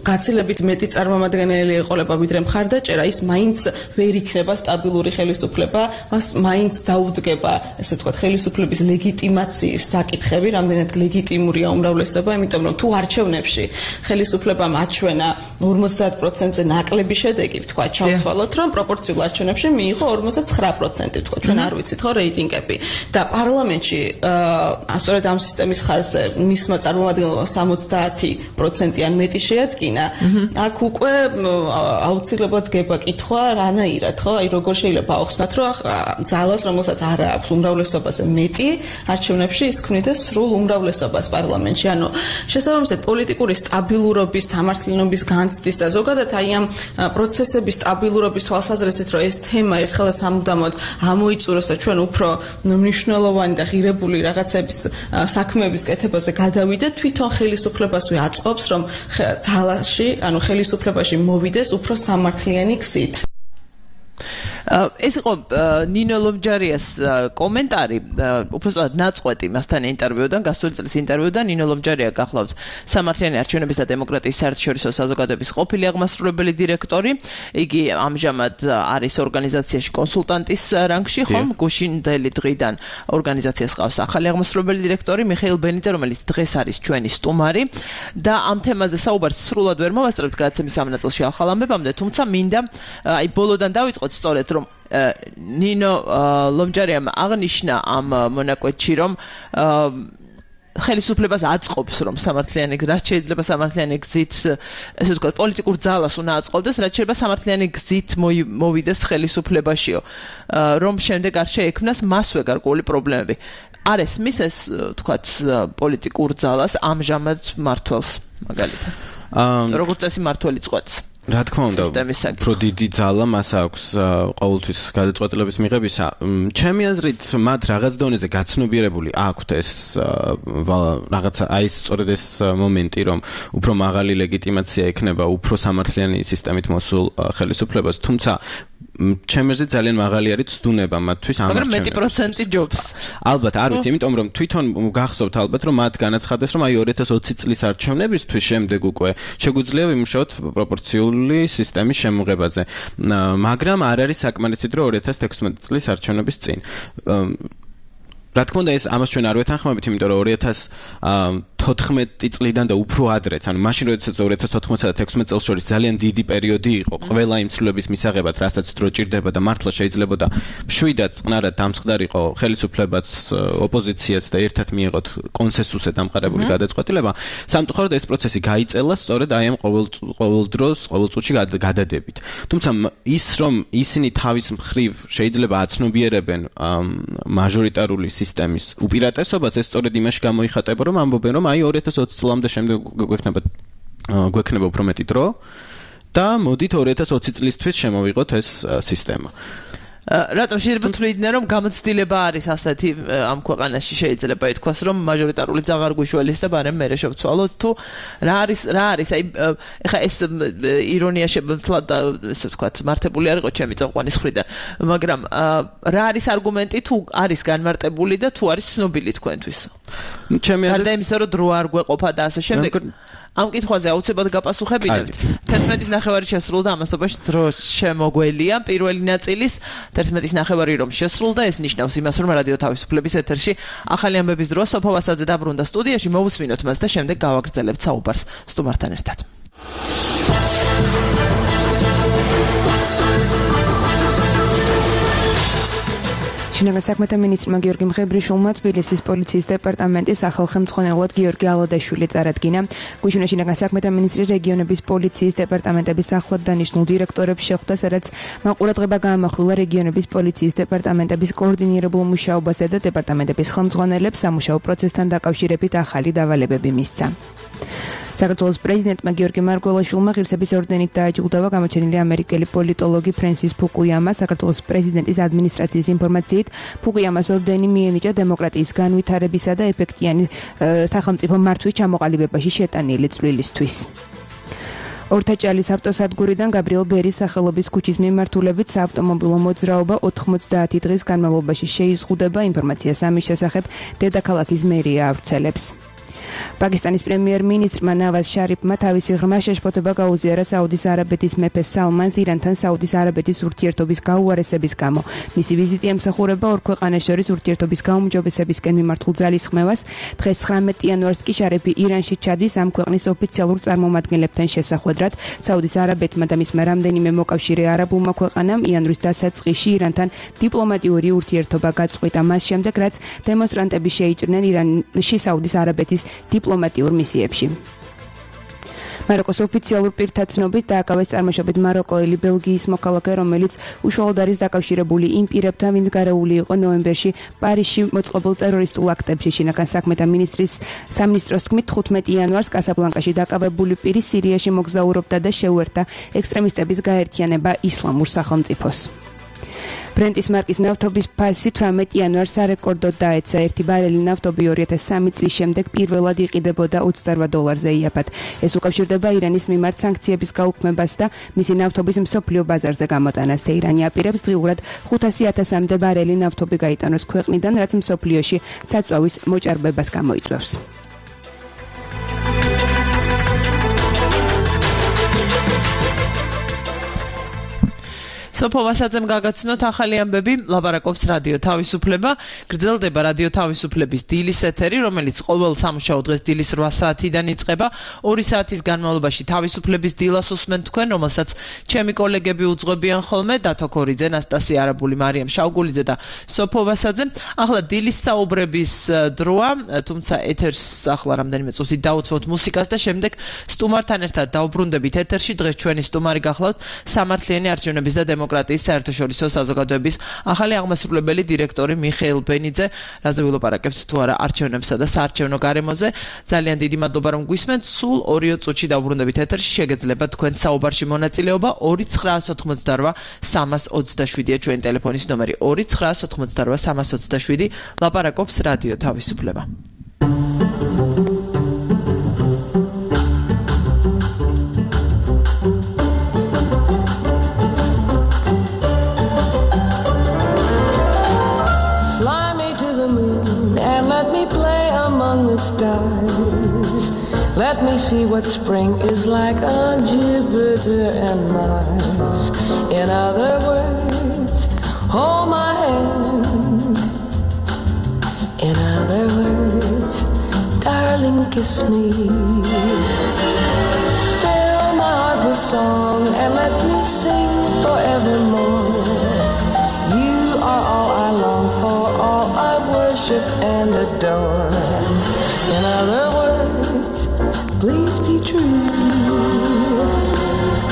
გაცილებით მეტი წარმომადგენელი ეყოლება ვიდრე მხარდაჭერა, ის მაინც ვერ იქნება სტაბილური ხელისუფლება, მას მაინც დაუდგება, ესე ვთქვათ, ხელისუფლების ლეგიტიმაციის საკითხები, რამდენად ლეგიტიმურია უმრავლესობა, იმიტომ რომ თუ არჩევნებში ხელისუფლებამ აჩვენა 50%-ზე ნაკლები შედეგი, ვთქვათ, ჩავთვალოთ, რომ პროპორციულ არჩევნებში მიიღო 59%, ვთქვათ, ჩვენ არ ვიცით ხო რეიტინგები და პარლამენტში სწორედ ამ სისტემის ხარჯზე მისმა წარმომადგენლობამ 70% ან მეტი შეადგინა. აქ უკვე აუცილებლად გება კითხვა რანაირად, ხო? აი როგორ შეიძლება აუხსნათ, რომ ძალას, რომელსაც არ აქვს უმრავლესობაზე მეტი არჩევნებში ის ქმნიდეს სრულ უმრავლესობას პარლამენტში. ანუ შესაბამისად პოლიტიკური სტაბილურობის, სამართლიანობის განცდის და ზოგადად აი ამ პროცესების სტაბილურობის თვალსაზრისით, რომ ეს თემა ერთხელ სამუდამოდ ამოიწუროს და ჩვენ უფრო მნიშვნელოვანი და ღირებული რაღაცების საქმეების კეთებაზე გადავიდეთ, თვითონ ხელისუფლებასვე აწყობს, რომ ძალაში, ანუ ხელისუფლებაში მოვიდეს უფრო სამართლიანი გზით. ეს იყო ნინო ლომჯარიას კომენტარი, უბრალოდ ნაწყვეტი მასთან ინტერვიუდან, გასული წლის ინტერვიუდან. ნინო ლომჯარია გახლავთ სამართლიანი არჩევნების და დემოკრატიის საერთაშორისო საზოგადოების ყოფილი აღმასრულებელი დირექტორი. იგი ამჟამად არის ორგანიზაციაში კონსულტანტის რანგში, ხომ? გუშინდელი დღიდან ორგანიზაციას ყავს ახალი აღმასრულებელი დირექტორი მიხეილ ბენიძე, რომელიც დღეს არის ჩვენი სტუმარი და ამ თემაზე საუბარს სრულად ვერ მოვასწრებთ გადაცემის ამ ნაწილში ახალ ამბებამდე, თუმცა მინდა აი ბოლოდან დავიწყოთ სწორედ რომ ნინო ლომჯარიამ აღნიშნა ამ მონაკვეთში, რომ ხელისუფლებას აწყობს, რომ სამართლიანი რაც შეიძლება სამართლიანი გზით, ესე ვთქვათ, პოლიტიკურ ძალას უნდა აწყობდეს, რაც შეიძლება სამართლიანი გზით მოვიდეს ხელისუფლებაშიო, რომ შემდეგ არ შეექმნას მასვე გარკვეული პრობლემები. არ ესმის ეს, ვთქვათ, პოლიტიკურ ძალას ამჟამად მართველს, მაგალითად. როგორც წესი მართველი წყვეტს. რა თქმა უნდა, უფრო დიდი ძალა მას აქვს ყოველთვის გადაწყვეტილების მიღებისა. ჩემი აზრით, მათ რაღაც დონეზე გაცნობიერებული აქვთ ეს რაღაცა, აი ეს სწორედ ეს მომენტი, რომ უფრო მაღალი ლეგიტიმაცია ექნება უფრო სამართლიანი სისტემით მოსულ ხელისუფლებას, თუმცა ჩემი აზრით ძალიან მაღალი არის ცდუნება მათთვის ამ არჩევნებში. მაგრამ მეტი პროცენტი ჯობს. ალბათ, არ ვიცი, იმიტომ რომ თვითონ გახსოვთ ალბათ, რომ მათ განაცხადეს, რომ აი 2020 წლის არჩევნებისთვის შემდეგ უკვე შეგვიძლია ვიმუშაოთ პროპორციული სისტემის შემოღებაზე. მაგრამ არ არის საკმარისად, რომ 2016 წლის არჩევნების წინ. რა თქმა უნდა, ეს ამას ჩვენ არ ვეთანხმებით, იმიტომ რომ 2012 14 წლიდან და უფრო ადრეც, ანუ მაშინ როდესაც 2014-და 16 წელს შორის ძალიან დიდი პერიოდი იყო ყველა იმ ცვლილების მისაღებად, რასაც დრო ჭირდება და მართლა შეიძლებოდა მშვიდად წყნარად დამწყდარიყო ხელისუფლებაც, ოპოზიციაც და ერთად მიიღოთ კონსენსუსზე დამყარებული გადაწყვეტილება. სამწუხაროდ ეს პროცესი გაიწელა სწორედ აი ამ ყოველ წუთში გადადებით. თუმცა ის რომ ისინი თავის მხრივ შეიძლება აცნობიერებენ მაჟორიტარული სისტემის უპირატესობას, ეს სწორედ იმაში გამოიხატება, რომ ამბობენ, რომ აი 2020 წლამდე შემდეგ გვექნება უფრო მეტი დრო და მოდით 2020 წლისთვის შემოვიღოთ ეს სისტემა. რატომ შეიძლება თვლიდნენ, რომ გამოცდილება არის ასეთი ამ ქვეყანაში შეიძლება ითქვას, რომ მაჟორიტარული აღარ გვიშველის და ბარემ მერე შევცვალოთ თუ რა არის აი ეხა ეს ირონია შეძლო ესე ვთქვათ მართებული არ იყო ჩემი წამყვანის მხრიდან, მაგრამ რა არის არგუმენტი თუ არის განმარტებული და თუ არის ცნობილი თქვენთვის? ჩემი აზრით გარდა იმისა, რომ დრო არ გვეყოფა და ასე შემდეგ ამ კითხვაზე აუცილებლად გაპასუხებინებთ. 11:30 შესრულდა ამასობაში დროს შემოგველია პირველი ნაწილის 11:30 რომ შესრულდა, ეს ნიშნავს იმას, რომ რადიო თავისუფლების ეთერში ახალი ამბების დრო სოფო ვასაძე დაბრუნდა სტუდიაში, მოვუსმინოთ მას და შემდეგ გავაგრძელებთ საუბარს სტუმართან ერთად. შინაგან საქმეთა მინისტრმა გიორგი მღებრიშვილმა თბილისის პოლიციის დეპარტამენტის ახალ ხელმძღვანელად გიორგი ალადაშვილი წარადგინა. გუშინი შინაგან საქმეთა მინისტრი რეგიონების პოლიციის დეპარტამენტების ახლად დანიშნულ დირექტორებს შეხვდა, სადაც მან ყურადღება გაამახვილა რეგიონების პოლიციის დეპარტამენტების კოორდინირებულ მუშაობაზე და დეპარტამენტების ხელმძღვანელებს სამუშაო პროცესთან დაკავშირებით ახალი დავალებები მისცა. საქართველოს პრეზიდენტმა გიორგი მარგველაშვილმა ღირსების ორდენით დააჯილდოვა გამოჩენილი ამერიკელი პოლიტოლოგი ფრენსის ფუკუიამა. საქართველოს პრეზიდენტის ადმინისტრაციის ინფორმაციით, ფუკუიამას ორდენი მიენიჭა დემოკრატიის განვითარებისა და ეფექტიანი სახელმწიფო მართვის ჩამოყალიბებაში შეტანილი წვლილისთვის. ორთაჭალის ავტოსადგურიდან გაბრიელ ბერის სახელობის ქუჩის მიმართულებით საავტომობილო მოძრაობა 90 დღის განმავლობაში შეიზღუდება. ინფორმაციას ამის შესახებ დედაქალაქის მერია ავრცელებს. პაკისტანის პრემიერ-მინისტრმა ნავაზ შარიფმა თავისი ღრმა შეშფოთება გაუზიარა საუდის არაბეთის მეფეს სალმანს ირანთან საუდის არაბეთის ურთიერთობის გაუარესების გამო. მისი ვიზიტი ემსახურება ორ ქვეყანას შორის ურთიერთობის გაუმჯობესებისკენ მიმართულ ძალისხმევას. დღეს 19 იანვარს კი შარიფი ირანში ჩადის ამ ქვეყნის ოფიციალურ წარმომადგენლებთან შესახვედრად. საუდის არაბეთმა და მისმა რამდენიმე მოკავშირე არაბულმა ქვეყანამ იანვრის დასაწყისში ირანთან დიპლომატიური ურთიერთობა გაწყვიტა, მას შემდეგ რაც დემონსტრანტები შეიჭრნენ ირანში საუდის არაბეთის დიპლომატიურ მისიებში. მაროკოს ოფიციალურ პირთა ცნობით დააკავეს წარმოშობით მაროკოელი ბელგიის მოქალაქე, რომელიც უშუალოდ არის დაკავშირებული იმ პირებთან, ვინც გარეული იყო ნოემბერში პარიზში მოწყობილ ტერორისტულ აქტებში. შინაგან საქმეთა მინისტრის სამინისტროს თქმით 15 იანვარს კასაბლანკაში დაკავებული პირი სირიაში მოგზაურობდა და შეუერთდა ექსტრემისტების გაერთიანება ისლამურ სახელმწიფოს. ბრენტის მარკის ნავთობის ფასი 18 იანვარს სარეკორდოდ დაეცა. ერთი ბარელი ნავთობი 2003 წლის შემდეგ პირველად იყიდებოდა $28-ზე იაფად. ეს უკავშირდება ირანის მიმართ სანქციების გაუქმებას და მისი ნავთობის მსოფლიო ბაზარზე გამოტანას. თეირანი აპირებს დღიურად 500,000-მდე ბარელი ნავთობი გაიტანოს ქვეყნიდან, რაც მსოფლიოში საწვავის მოჭარბებას გამოიწვევს. სოფო ვასაძემ გაგაცნოთ ახალი ამბები, ლაპარაკობს რადიო თავისუფლება. გრძელდება რადიო თავისუფლების დილის ეთერი, რომელიც ყოველ სამუშაო დღეს დილის 8 საათიდან იწყება. 2 საათის განმავლობაში თავისუფლების დილას უსმენთ თქვენ, რომელსაც ჩემი კოლეგები უძღვებიან ხოლმე, დათო ქორიძე, ნასტასია არაბული, მარიამ შავგულიძე და სოფო ვასაძე. ახლა დილის საუბრების დროა, თუმცა ეთერს ახლა რამდენიმე წუთი დავუთმოთ მუსიკას და შემდეგ სტუმართან ერთად დავბრუნდებით ეთერში. დღეს ჩვენი სტუმარი გახლავთ სამართლიანი არჩევნების და დემოკრატიის საერთაშორისო საზოგადოების ახალი აღმასრულებელი დირექტორი მიხეილ ბენიძე. რაზე ვილაპარაკებთ თუ არა არჩევნებსა და საარჩევნო გარემოზე. ძალიან დიდი მადლობა რომ გვისმენთ. სულ 2 წუთში დავბრუნდებით ეთერში. შეგეძლება თქვენ საუბარში მონაწილეობა. 2988 327-ია ჩვენი ტელეფონის ნომერი. 2988 327. ლაპარაკობს რადიო თავისუფლება. Let me see what spring is like on Jupiter and Mars. In other words, hold my hand. In other words, darling. darling, kiss me. Fill my heart with song and let me sing forevermore. You are all I long for, all I worship and adore. In other words, please be true.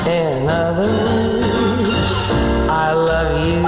In other words, I love you.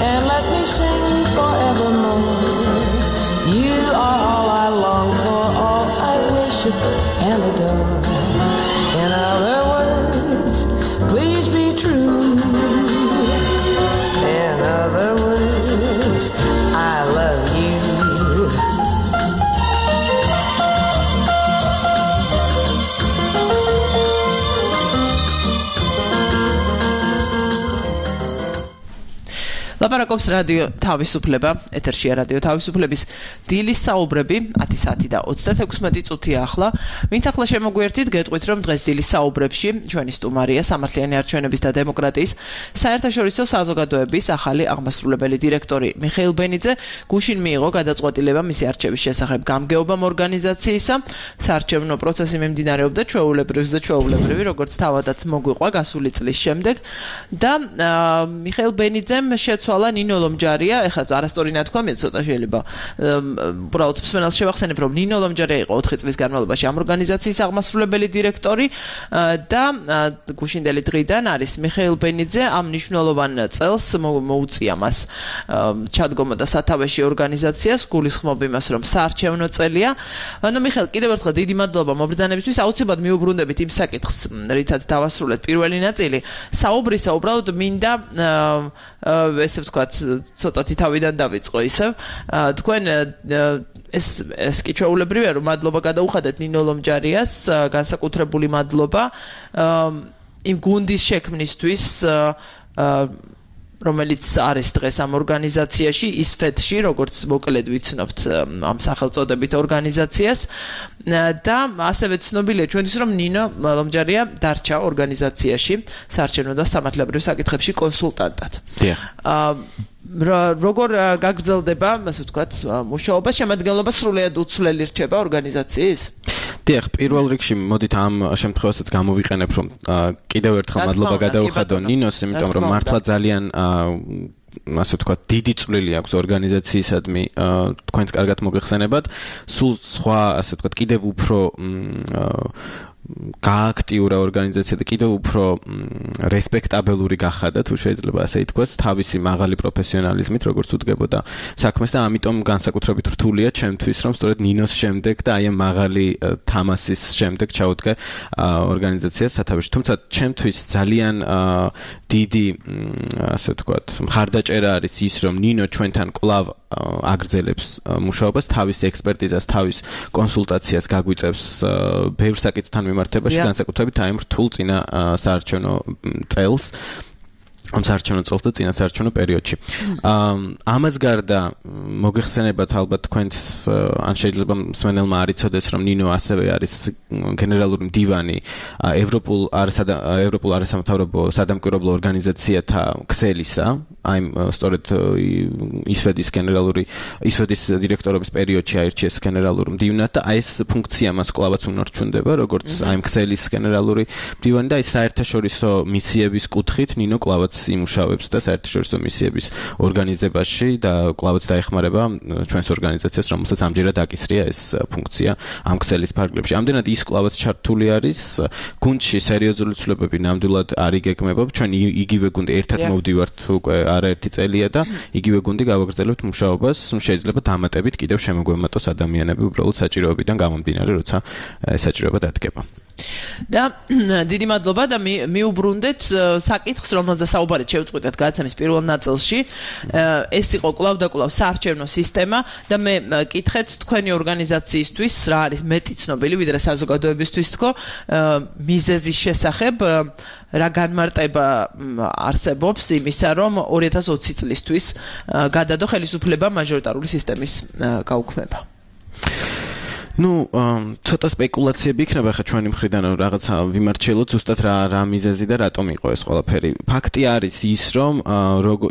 And let me sing forevermore. You are all I long for, all I worship and adore. In other words, please be true. In other words, I love you. ლაპარაკობს რადიო თავისუფლება, ეთერშია რადიო თავისუფლების დილის საუბრები 10 საათი და 36 წუთია ახლა. ვინც ახლა შემოგვიერთით, გეტყვით რომ დღეს დილის საუბრებში ჩვენი სტუმარია სამართლიანი არჩევნების და დემოკრატიის საერთაშორისო საზოგადოების ახალი აღმასრულებელი დირექტორი მიხეილ ბენიძე. გუშინ მიიღო გადაწყვეტილება მისი არჩევის შესახებ გამგეობამ ორგანიზაციისა. საარჩევნო პროცესი მიმდინარეობდა ჩვეულებრივი, როგორც თავადაც მოგვიყვა გასული წლის შემდეგ და მიხეილ ბენიძემ შეცვალა ნინო ლომჯარია, ეხლა არასწორი ნათქვამია ცოტა შეიძლება უბრალოდ მსმენელს შევახსენებ, რომ ნინო ლომჯარია იყო 4 წლის განმავლობაში ამ ორგანიზაციის აღმასრულებელი დირექტორი და გუშინდელი დღიდან არის მიხეილ ბენიძე. ამ მნიშვნელოვან წელს მოუწია მას ჩადგომა და სათავეში ორგანიზაციას, გულისხმობ იმას, რომ საარჩევნო წელია. ანუ მიხეილ, კიდევ ერთხელ დიდი მადლობა მობრძანებისთვის. აუცილებლად მიუბრუნდებით იმ საკითხს, რითაც დავასრულეთ პირველი ნაწილი საუბრისა, უბრალოდ მინდა ესე ვთქვათ, ცოტათი თავიდან დავიწყო ისევ. თქვენ ეს კი ჩვეულებრივია, რომ მადლობა გადაუხადეთ ნინო ლომჯარიას, განსაკუთრებული მადლობა იმ გუნდის შექმნისთვის, რომელიც არის დღეს ამ ორგანიზაციაში, ისფეთში, როგორც მოკლედ ვიცნობთ ამ სახელწოდებით ორგანიზაციას და ასევე ცნობილია ჩვენთვის, რომ ნინო ლომჯარია დარჩა ორგანიზაციაში საარჩევნო და სამართლებრივ საკითხებში კონსულტანტად. როგორ გაგრძელდება, ასე ვთქვათ, მუშაობა, შემადგენლობა სრულიად უცვლელი რჩება ორგანიზაციის? დიახ, პირველ რიგში მოდით ამ შემთხვევასაც გამოვიყენებ, რომ კიდევ ერთხელ მადლობა გადაუხადო ნინოს, იმიტომ რომ მართლა ძალიან ასე ვთქვათ, დიდი წვლილი აქვს ორგანიზაციისადმი, თქვენს კარგად მოგეხსენებათ. სულ სხვა, ასე ვთქვათ, კიდევ უფრო გააქტიურა ორგანიზაცია და კიდევ უფრო რესპექტაბელური გახადა, თუ შეიძლება ასე ითქვას, თავისი მაღალი პროფესიონალიზმით, როგორც უდგებოდა საქმეს და ამიტომ განსაკუთრებით რთულია ჩემთვის, რომ სწორედ ნინოს შემდეგ და აი ამ მაღალი თამასის შემდეგ ჩაუდგე ორგანიზაციას სათავეში. თუმცა ჩემთვის ძალიან დიდი, ასე ვთქვათ, მხარდაჭერა არის ის, რომ ნინო ჩვენთან კვლავ აგრძელებს მუშაობას, თავის ექსპერტიზას, თავის კონსულტაციას გაგვიწევს ბევრ საკითხთან მიმართებაში, განსაკუთრებით აი ამ რთულ წინა საარჩევნო წელს. ამ საარჩევნო წელს და წინა საარჩევნო პერიოდში. ამას გარდა მოგეხსენებათ ალბათ თქვენს ან შეიძლება მსმენელმა არ იცოდეს, რომ ნინო ასევე არის გენერალური მდივანი ევროპულ არასამთავრობო სადამკვირვებლო ორგანიზაციათა ქსელისა, აი სწორედ ისვედის დირექტორობის პერიოდში აირჩიეს გენერალურ მდივნად და აი ეს ფუნქცია მას კვლავაც უნარჩუნდება, როგორც აი ქსელის გენერალური მდივანი და აი საერთაშორისო მისიების კუთხით ნინო კვლავაც კვლავაც იმუშავებს და საერთაშორისო მისიების ორგანიზებაში და კვლავაც დაეხმარება ჩვენს ორგანიზაციას, რომელსაც ამჯერად აკისრია ეს ფუნქცია ამ ქსელის ფარგლებში. ამდენად ის კვლავაც ჩართული არის გუნდში სერიოზული ცვლილებები ნამდვილად არ იგეგმება. ჩვენ იგივე გუნდი ერთად მოვდივართ უკვე არაერთი წელია და იგივე გუნდი გავაგრძელებთ მუშაობას. შეიძლება დამატებით კიდევ შემოგვემატოს ადამიანები უბრალოდ საჭიროებიდან გამომდინარე, როცა ეს საჭიროება დადგება. და დიდი მადლობა და მიუბრუნდეთ საკითხს, რომელზეც საუბარი შევწყვეტეთ გადაცემის პირველ ნაწილში. ეს იყო კვლავ და კვლავ საარჩევნო სისტემა და მე კითხეთ თქვენი ორგანიზაციისთვის რა არის მეტი ცნობილი ვიდრე საზოგადოებისთვის თქო მიზეზის შესახებ რა განმარტება არსებობს იმისა, რომ 2020 წლისთვის გადადო ხელისუფლება მაჟორიტარული სისტემის გაუქმება. ცოტა სპეკულაციები იქნება ხა ჩვენი მხრიდან რაღაცა ვიმარჩიელოთ ზუსტად რა მიზეზი და რატომ იყო ეს ყველაფერი. ფაქტი არის ის, რომ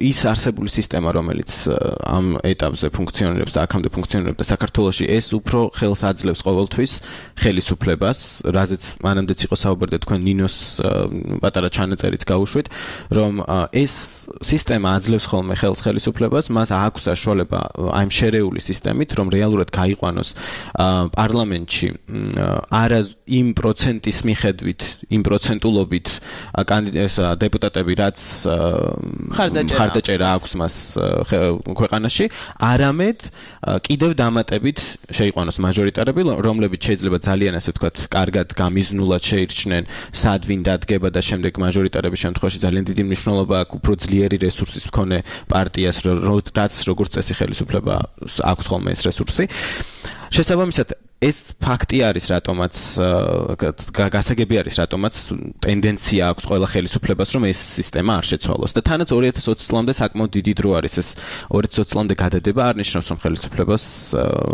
ის არსებული სისტემა, რომელიც ამ ეტაპზე ფუნქციონირებს და აქამდე ფუნქციონირებდა საქართველოში, ეს უფრო ხელს აძლევს ყოველთვის ხელისუფლებას, რაზეც მანამდეც იყო საუბარი და თქვენ ნინოს პატარა ჩანაწერიც გაუშვით, რომ ეს სისტემა აძლევს ხოლმე ხელს ხელისუფლებას, მას აქვს საშუალება აი ამ შერეული სისტემით, რომ რეალურად გაიყვანოს პარლამენტში არა იმ პროცენტის მიხედვით, იმ პროცენტულობით დეპუტატები, რაც ხარდაჭერა აქვს მას ქვეყანაში, არამედ კიდევ დამატებით შეიყვანოს მაჟორიტარები, რომლებიც შეიძლება ძალიან ასე ვთქვათ, კარგად გამიზნულად შეირჩნენ, სად ვინ დადგება და შემდეგ მაჟორიტარების შემთხვევაში ძალიან დიდი მნიშვნელობა აქვს უფრო ძლიერი რესურსის მქონე პარტიას, რაც როგორც წესი ხელისუფლება აქვს ხოლმე ეს რესურსი. შესაბამისად ეს ფაქტი არის, რატომაც გასაგები არის, რატომაც ტენდენცია აქვს ყველა ხელისუფლებას, რომ ეს სისტემა არ შეცვალოს. და თანაც 2020 წლამდე საკმაოდ დიდი დრო არის ეს 2020 წლამდე გადადება, არ ნიშნავს, რომ ხელისუფლებას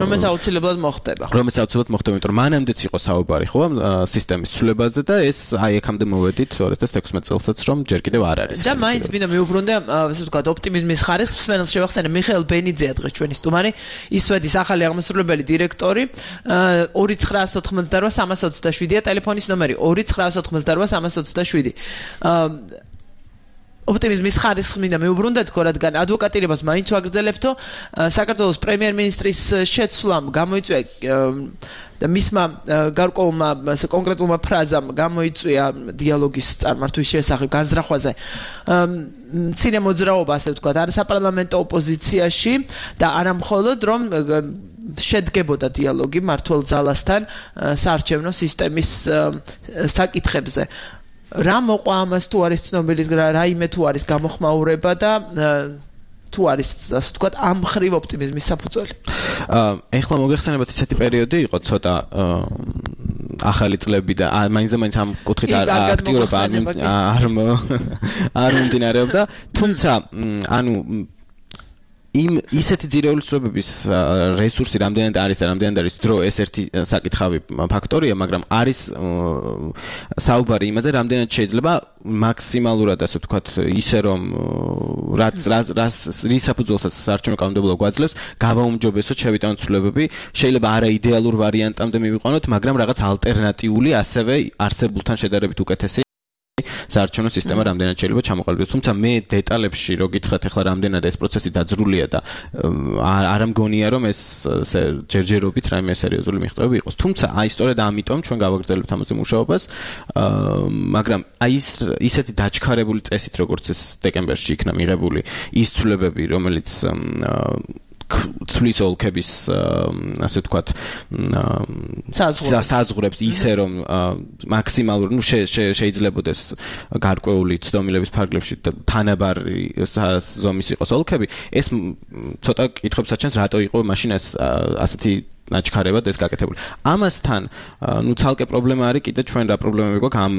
რომელიც აუცილებლად მოხდება. რომელიც აუცილებლად მოხდება, იმიტომ რომ მანამდეც იყო საუბარი ხო სისტემის ცვლილებაზე და ეს აი აქამდე მოვედით 2016 წელსაც, რომ ჯერ კიდევ არ არის. და მაინც მინდა მივუბრუნდე, ასე ვთქვათ, ოპტიმიზმის ხარისხს, მსმენელს შევახსენე მიხეილ ბენიძეა დღეს ჩვენი სტუმარი, ისვედის ახალი აღმასრულებელი დირექტორი. 2988-327-ია ტელეფონის ნომერი 2988-327. ოპტიმიზმის ხარისხს მინდა მივუბრუნდეთ, რადგან ადვოკატირებას მაინც ვაგრძელებთო. საქართველოს პრემიერ-მინისტრის შეცვლამ გამოიწვია და მისმა გარკვეულმა კონკრეტულმა ფრაზამ გამოიწვია დიალოგის წარმართვის შესახებ განზრახვაზე მცირე მოძრაობა, ასე ვთქვათ, არის საპარლამენტო ოპოზიციაში და არა მხოლოდ რომ შედგებოდა დიალოგი მართლ ძალასთან საარჩევნო სისტემის საკითხებზე. რა მოყვა ამას, თუ არის ცნობილი რაიმე თუ არის გამოხმაურება და თუ არის, ასე ვთქვათ, ამ მხრივ ოპტიმიზმის საფუძველი. ეხლა მოგეხსენებათ ისეთი პერიოდი იყო ცოტა ახალი წლები და მაინც ამ კუთხით აქტიურობა არ მომდინარეობდა, თუმცა ანუ ისეთი ძირეული ცვლილებების რესურსი რამდენად არის და რამდენად არის დრო, ეს ერთი საკითხავი ფაქტორია, მაგრამ არის საუბარი იმაზე, რამდენად შეიძლება მაქსიმალურად, ასე ვთქვათ, ისე რომ რის საფუძველსაც საარჩევნო კანონმდებლობა გვაძლევს, გავაუმჯობესოთ შევიტანოთ ცვლილებები, შეიძლება არა იდეალურ ვარიანტამდე მივიყვანოთ, მაგრამ რაღაც ალტერნატიული, ასევე არსებულთან შედარებით უკეთესი საარჩევნო სისტემა რამდენად შეიძლება ჩამოყალიბდეს. თუმცა მე დეტალებში რო გითხრათ ახლა რამდენად ეს პროცესი დაძრულია და არ მგონია რომ ეს ჯერჯერობით რაიმე სერიოზული მიღწევები იყოს. თუმცა აი სწორედ ამიტომ ჩვენ გავაგრძელებთ ამაზე მუშაობას, მაგრამ აი ისეთი დაჩქარებული წესით, როგორც ეს დეკემბერში იქნა მიღებული ის ცვლილებები, რომელიც ცვლის ოლქების ასე ვთქვათ საზღვრებს ისე რომ მაქსიმალურ შეიძლებოდეს გარკვეული ცდომილების ფარგლებში თანაბარი ზომის იყოს ოლქები, ეს ცოტა კითხვებს აჩენს, რატო იყო მაშინ ასეთი ნაჩქარებად ეს გაკეთებული. ამასთან ცალკე პრობლემა არის კიდე ჩვენ რა პრობლემები გვაქვს ამ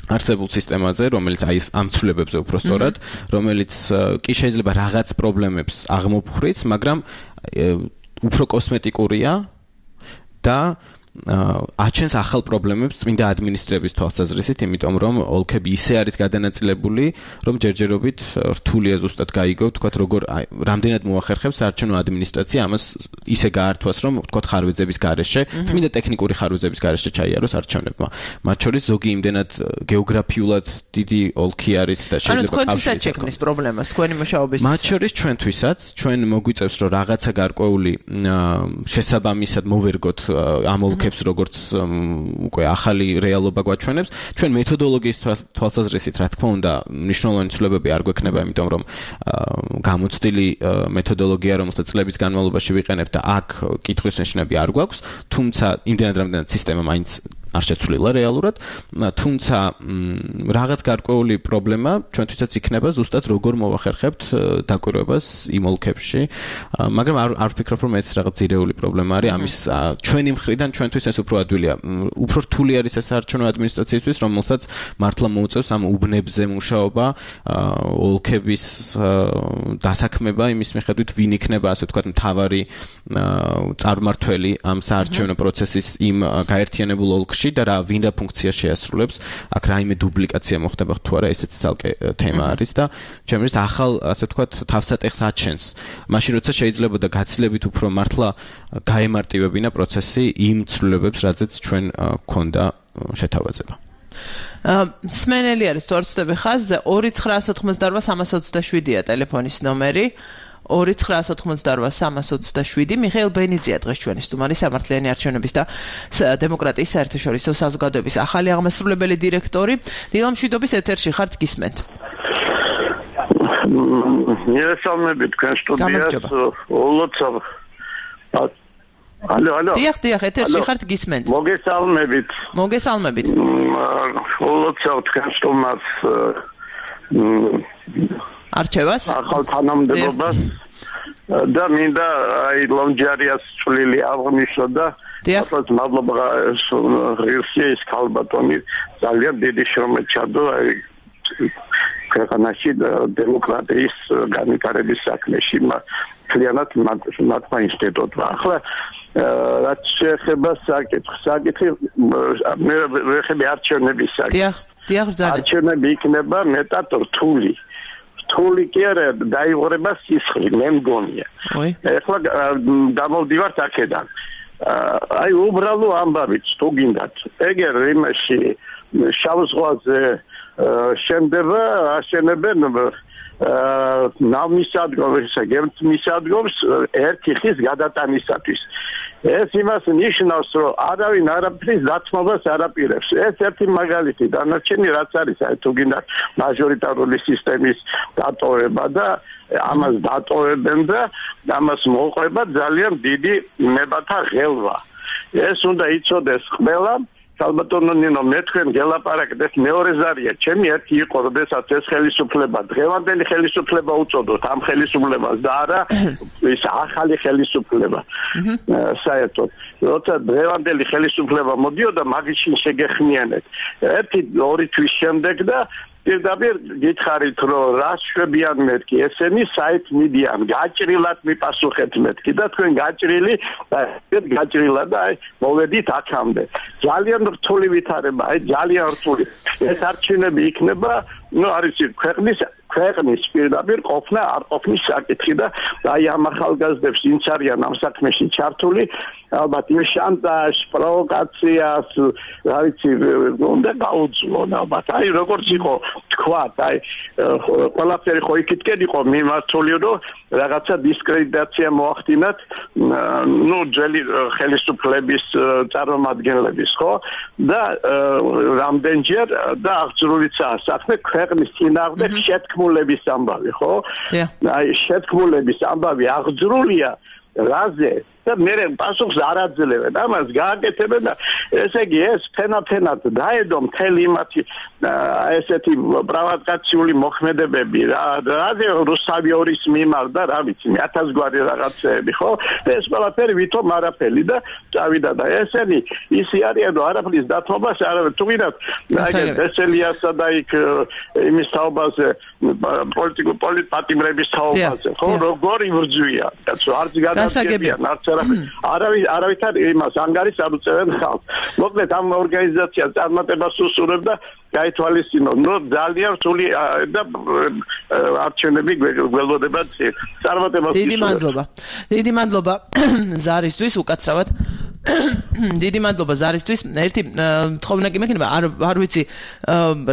არსებულ სისტემაზე, რომელიც აი ამ ცვლილებებზე უფრო სწორად, რომელიც კი შეიძლება რაღაც პრობლემებს აღმოფხვრიც, მაგრამ უფრო კოსმეტიკურია და აჩენს ახალ პრობლემებს წმინდა ადმინისტრების თვალსაზრისით, იმიტომ რომ ოლქები ისე არის გადანაწილებული, რომ ჯერჯერობით რთულია ზუსტად გაიგო, თქვათ როგორ რამდენად მოახერხებს საარჩევნო ადმინისტრაცია ამას ისე გაართვას, რომ თქვათ ხარვეზების გარეშე, წმინდა ტექნიკური ხარვეზების გარეშე ჩაიაროს არჩევნებმა. მათ შორის ზოგი იმდენად გეოგრაფიულად დიდი ოლქი არის და შეიძლება თქვენთვისაც შექმნის პრობლემას თქვენი მუშაობის. მათ შორის ჩვენთვისაც ჩვენ მოგვიწევს რომ რაღაცა გარკვეული შესაბამისად მოვერგოთ ამ ოლქებს როგორც უკვე ახალი რეალობა გვაჩვენებს. ჩვენ მეთოდოლოგიის თვალსაზრისით რა თქმა უნდა მნიშვნელოვანი ცვლილებები არ გვექნება, იმიტომ რომ გამოცდილი მეთოდოლოგია რომელსაც წლების განმავლობაში ვიყენებთ და აქ კითხვის ნიშნები არ გვაქვს, თუმცა იმდენად რამდენად სისტემა მაინც არ შეცვლილა რეალურად, თუმცა რაღაც გარკვეული პრობლემა ჩვენთვისაც იქნება ზუსტად როგორ მოვახერხებთ დაკვირვებას იმ ოლქებში, მაგრამ არ ვფიქრობ რომ ეს რაღაც ძირეული პრობლემა არის, ამის ჩვენი მხრიდან ჩვენთვის ეს უფრო ადვილია, უფრო რთული არის ეს საარჩევნო ადმინისტრაციისთვის, რომელსაც მართლა მოუწევს ამ უბნებზე მუშაობა, ოლქების დასაქმება იმის მიხედვით ვინ იქნება ასე ვთქვათ მთავარი წარმმართველი ამ საარჩევნო პროცესის იმ გაერთიანებულ ოლქში და რა ვინ რა ფუნქცია შეასრულებს, აქ რაიმე დუბლიკაცია მოხდება თუ არა, ესეც ცალკე თემა არის და ჩემს მისთ ახალ ასე ვთქვათ თავსატეხს აჩენს. მაშინ როცა შეიძლება და გაცილებით უფრო მართლა გაემარტივებინა პროცესი იმ ცვლილებებს, რაზეც ჩვენ გქონდა შეთავაზება. სმენელი არის თუ არ ვცდები ხაზზე 2988327-ია ტელეფონის ნომერი. 2988327 მიხეილ ბენიძია დღეს ჩვენი სტუმარი სამართლიანი არჩევნების და დემოკრატიის საერთაშორისო საზოგადოების ახალი აღმასრულებელი დირექტორი. დილამშვიდობის ეთერში ხართ, გისმენთ. მიერესალმებით თქვენ სტუდიას. ოლოცავ. ალო. დიახ, ეთერში ხართ, გისმენთ. მოგესალმებით. ოლოცავ თქვენ სტუმარს არჩევას ახალ თანამდებობას და მინდა აი ლონჯარიას წვლილი აღნიშნო და ახლა მადლობა ღირსია ის ქალბატონი ძალიან დიდი შრომა ჩადო აი ქვეყანაში დემოკრატიის განვითარების საქმეში მთლიანად მათმა ინსტიტუტმა ახლა რაც შეეხება საკითხი მე ვეხები არჩევნების საკითხი არჩევნები იქნება მეტად რთული რთული კი არა დაიღურება სისხლი მე მგონია ეხლა გამოვდივართ აქედან აი უბრალო ამბავით თუ გინდათ ეგერ იმაში შავ ზღვაზე შენდება აშენებენ ნავმისადგომს გემთმისადგომს ერთი ხის გადატანისათვის ეს იმას ნიშნავს რომ არავინ არაფრის დათმობას არ აპირებს ეს ერთი მაგალითი დანარჩენი რაც არის აი თუ გინდათ მაჟორიტარული სისტემის დატოვება და ამას დატოვებენ და ამას მოყვება ძალიან დიდი ნებათა ღელვა ეს უნდა იცოდეს ყველა ალბათონო ნინო მე თქვენ გელაპარაკეთ მეორე ზარია ჩემი ერთი იყო როდესაც ეს ხელისუფლება დღევანდელი ხელისუფლება უწოდოთ ამ ხელისუფლებას და არა ის ახალი ხელისუფლება საერთოდ როცა დღევანდელი ხელისუფლება მოდიოდა მაგიშინ შეგეხმიანეთ ერთი ორი თვის შემდეგ და პირდაპირ გითხარით რომ რას შვებიან მეთქი ესენი საით მიდიან გაჭრილად მიპასუხეთ მეთქი და თქვენ გაჭრილი გაჭრილად და აი მოვედით აქამდე ძალიან რთული ვითარება აი ძალიან რთული ეს არჩევნები იქნება ნუ არის ქვეყნის პირდაპირ ყოფნა არ ყოფნის საკითხი და აი ამ ახალგაზრდებს ვინც არიან ამ საქმეში ჩართული ალბათ იმ შანტაჟ პროვოკაციას რა ვიცი უნდა გაუძლონ ალბათ აი როგორც იყო თქვათ აი ყველაფერი ხო იქითკენ იყო მიმართული რომ რაღაცა დისკრედიტაცია მოახდინათ ნუ ძველი ხელისუფლების წარმომადგენლების ხო და რამდენჯერ და აღძრულიცაა საქმე ქვეყნის წინააღმდეგ შეთქმულების ამბავი ხო აი შეთქმულების ამბავი აღძრულია რაზე და მე პასუხს არ აძლევენ ამას გააკეთებენ და ესე იგი ეს ფენაფენად დაედო მთელი იმათი ესეთი პროვოკაციული მოქმედებები რაზე რუსთავიორის მიმართ და რა ვიცი 1000 გვარი რაღაცეები ხო ეს ყველაფერი ვითომ არაფერი და წავიდა და ესენი ისი არიან რომ არაფრის დათმობას არავინ თუ ვინათ ესელიასა და იქ იმის თაობაზე პოლიტიკურ პოლიტპატიმრების თაობაზე ხო როგორი ვრძვია კაცო არც გადაგებიან არც არავითარ იმას ანგარიშს არ უწევენ ხალხს. მოკლედ ამ ორგანიზაციას წარმატებას უსურვებ და გაითვალისწინოთ. ძალიან სული და არჩევნები გველოდება წარმატებას. დიდი მადლობა ზარისთვის უკაცრავად. დიდი მადლობა ზარისთვის. ერთი თხოვნა კი მექნება, არ ვიცი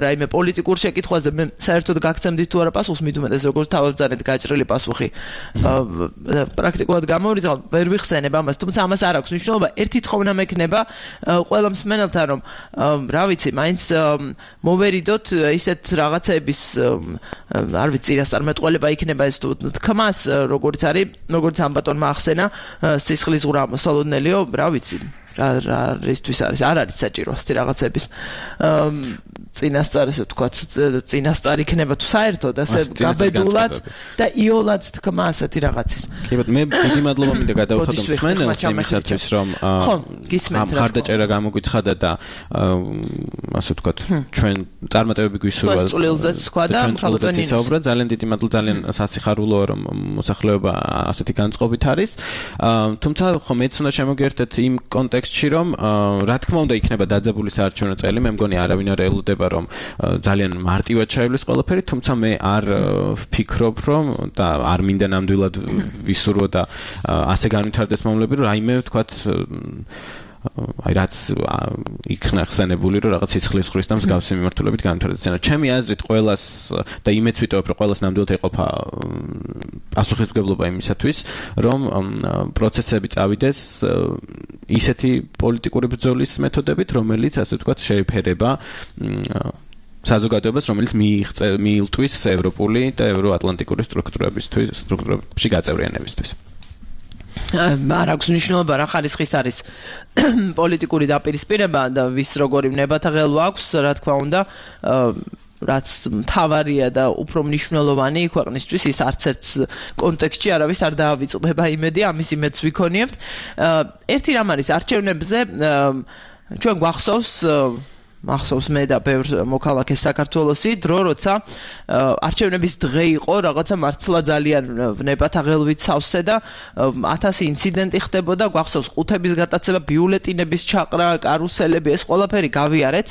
რაიმე პოლიტიკურ შეკითხვაზე მე საერთოდ გაგცემდით თუ არა პასუხს, მithumetes როგორც თავებზანეთ გაჭრილი პასუხი. პრაქტიკულად გამოვრიცხავ, ვერ ვიხსენებ ამას, თუმცა ამას არ აქვს მნიშვნელობა. ერთი თხოვნა მექნება ყველა მსმენელთან, რომ რა ვიცი, მაინც მოვერიდოთ ისეთ რაღაცების არ ვიცი, წინასწარმეტყველება იქნება ეს თუ თქმას, როგორც არის, როგორც ამ ბატონმა ახსენა, სისხლის ზღვრა მოსალოდნელიო, რა ვიცი რისთვის არის, არ არის საჭირო ასეთი რაღაცების წინასწარ, ესე ვთქვათ, წინასწარ იქნება თუ საერთოდ ასე გაბედულად და იოლად თქმა ასეთი რაღაცის. კი ბატონო, მე დიდი მადლობა მინდა გადავხადო მსმენელს იმისათვის, რომ ამ ხარდაჭერა გამოგვიცხადა და ასე ვთქვათ, ჩვენ წარმატებები გვისურვა. წულილზეც თქვა და ხალხო საუბრა, ძალიან დიდი მადლობა, ძალიან სასიხარულოა, რომ მოსახლეობა ასეთი განწყობით არის. თუმცა ხო მეც უნდა შემოგიერთეთ იმ კონტექსტში, რომ რა თქმა უნდა იქნება დაძაბული საარჩევნო წელი, მე მგონი არავინ არ ელოდება რომ ძალიან მარტივად ჩაივლის ყველაფერი, თუმცა მე არ ვფიქრობ, რომ და არ მინდა ნამდვილად ვისურვო და ასე განვითარდეს მომლები, რომ რაიმე ვთქვათ აი რაც იქნა ხსენებული, რომ რაღაც სისხლის ზღვრის და მსგავსი მიმართულებით განვითარდეს. ჩემი აზრით ყველას და იმეც ვიტოვებ, რომ ყველას ნამდვილად ეყოფა პასუხისმგებლობა იმისათვის, რომ პროცესები წავიდეს ისეთი პოლიტიკური ბრძოლის მეთოდებით, რომელიც ასე ვთქვათ შეეფერება საზოგადოებას, რომელიც მიილტვის ევროპული და ევროატლანტიკური სტრუქტურებში გაწევრიანებისთვის. არ აქვს მნიშვნელობა რა ხარისხის არის პოლიტიკური დაპირისპირება და ვის როგორი ვნებათა ღელვა აქვს, რა თქმა უნდა, რაც მთავარია და უფრო მნიშვნელოვანი ქვეყნისთვის, ის არც ერთ კონტექსტში არავის არ დაავიწყდება იმედი, ამის იმედს ვიქონიებთ. ერთი რამ არის არჩევნებზე, ჩვენ მახსოვს მე და ბევრ მოქალაქეს საქართველოსი დრო, როცა არჩევნების დღე იყო, რაღაცა მართლა ძალიან ვნებათა ღელვით სავსე და 1000 ინციდენტი ხდებოდა, გვახსოვს ყუთების გატაცება, ბიულეტინების ჩაყრა, კარუსელები, ეს ყველაფერი გავიარეთ.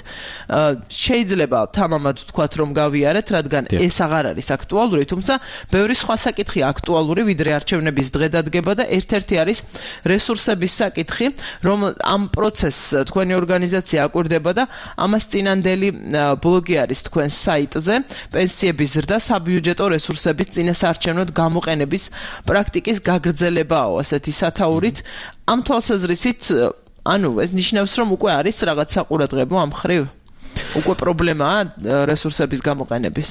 შეიძლება თამამად ვთქვათ, რომ გავიარეთ, რადგან ეს აღარ არის აქტუალური, თუმცა ბევრი სხვა საკითხი აქტუალური, ვიდრე არჩევნების დღე დადგება და ერთ-ერთი არის რესურსების საკითხი, რომ ამ პროცესს თქვენი ორგანიზაცია აკვირდება და ამას წინანდელი ბლოგი არის თქვენს საიტზე, პენსიების ზრდა, საბიუჯეტო რესურსების წინასაარჩევნოდ გამოყენების პრაქტიკის გაგრძელებაო, ასეთი სათაურით. ამ თვალსაზრისით, ანუ ეს ნიშნავს, რომ უკვე არის რაღაც საყურადღებო ამ ხრივ? უკვე პრობლემაა რესურსების გამოყენების.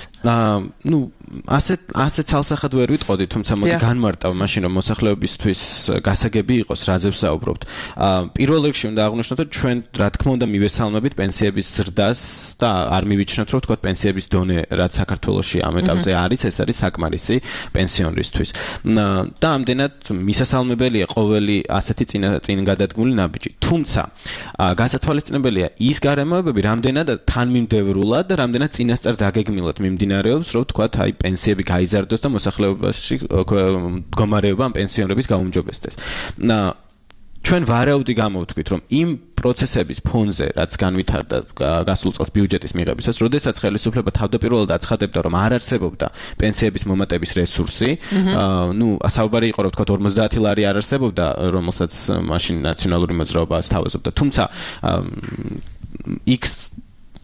ასე ცალსახად ვერ ვიტყოდი, თუმცა მოდი განმარტავ მაშინ, რომ მოსახლეობისთვის გასაგები იყოს, რაზე ვსაუბრობთ. პირველ რიგში უნდა აღვნიშნოთ, რომ ჩვენ რა თქმა უნდა მივესალმებით პენსიების ზრდას და არ მივიჩნევთ, რომ თქვათ პენსიების დონე, რაც საქართველოში ამ ეტაპზე არის, ეს არის საკმარისი პენსიონერისთვის. და ამდენად მისასალმებელია ყოველი ასეთი წინგადადგმული ნაბიჯი. თუმცა გასათვალისწინებელია ის გარემოებები, რამდენად თანმიმდევრულად და რამდენად წინასწარ დაგეგმილად მიმდინარეობს, რომ თქვათ, აი პენსიები გაიზარდოს და მოსახლეობაში მდგომარეობა ამ პენსიონერების გაუმჯობესდეს. ჩვენ ვარაუდი გამოვთქვით, რომ იმ პროცესების ფონზე, რაც განვითარდა გასულ წელს ბიუჯეტის მიღებისას, როდესაც ხელისუფლება თავდაპირველად აცხადებდა, რომ არ არსებობდა პენსიების მომატების რესურსი, საუბარი იყო, რომ თქვათ 50 ლარი არ არსებობდა, რომელსაც მაშინ ნაციონალური მოძრაობა ასთავაზებდა. თუმცა X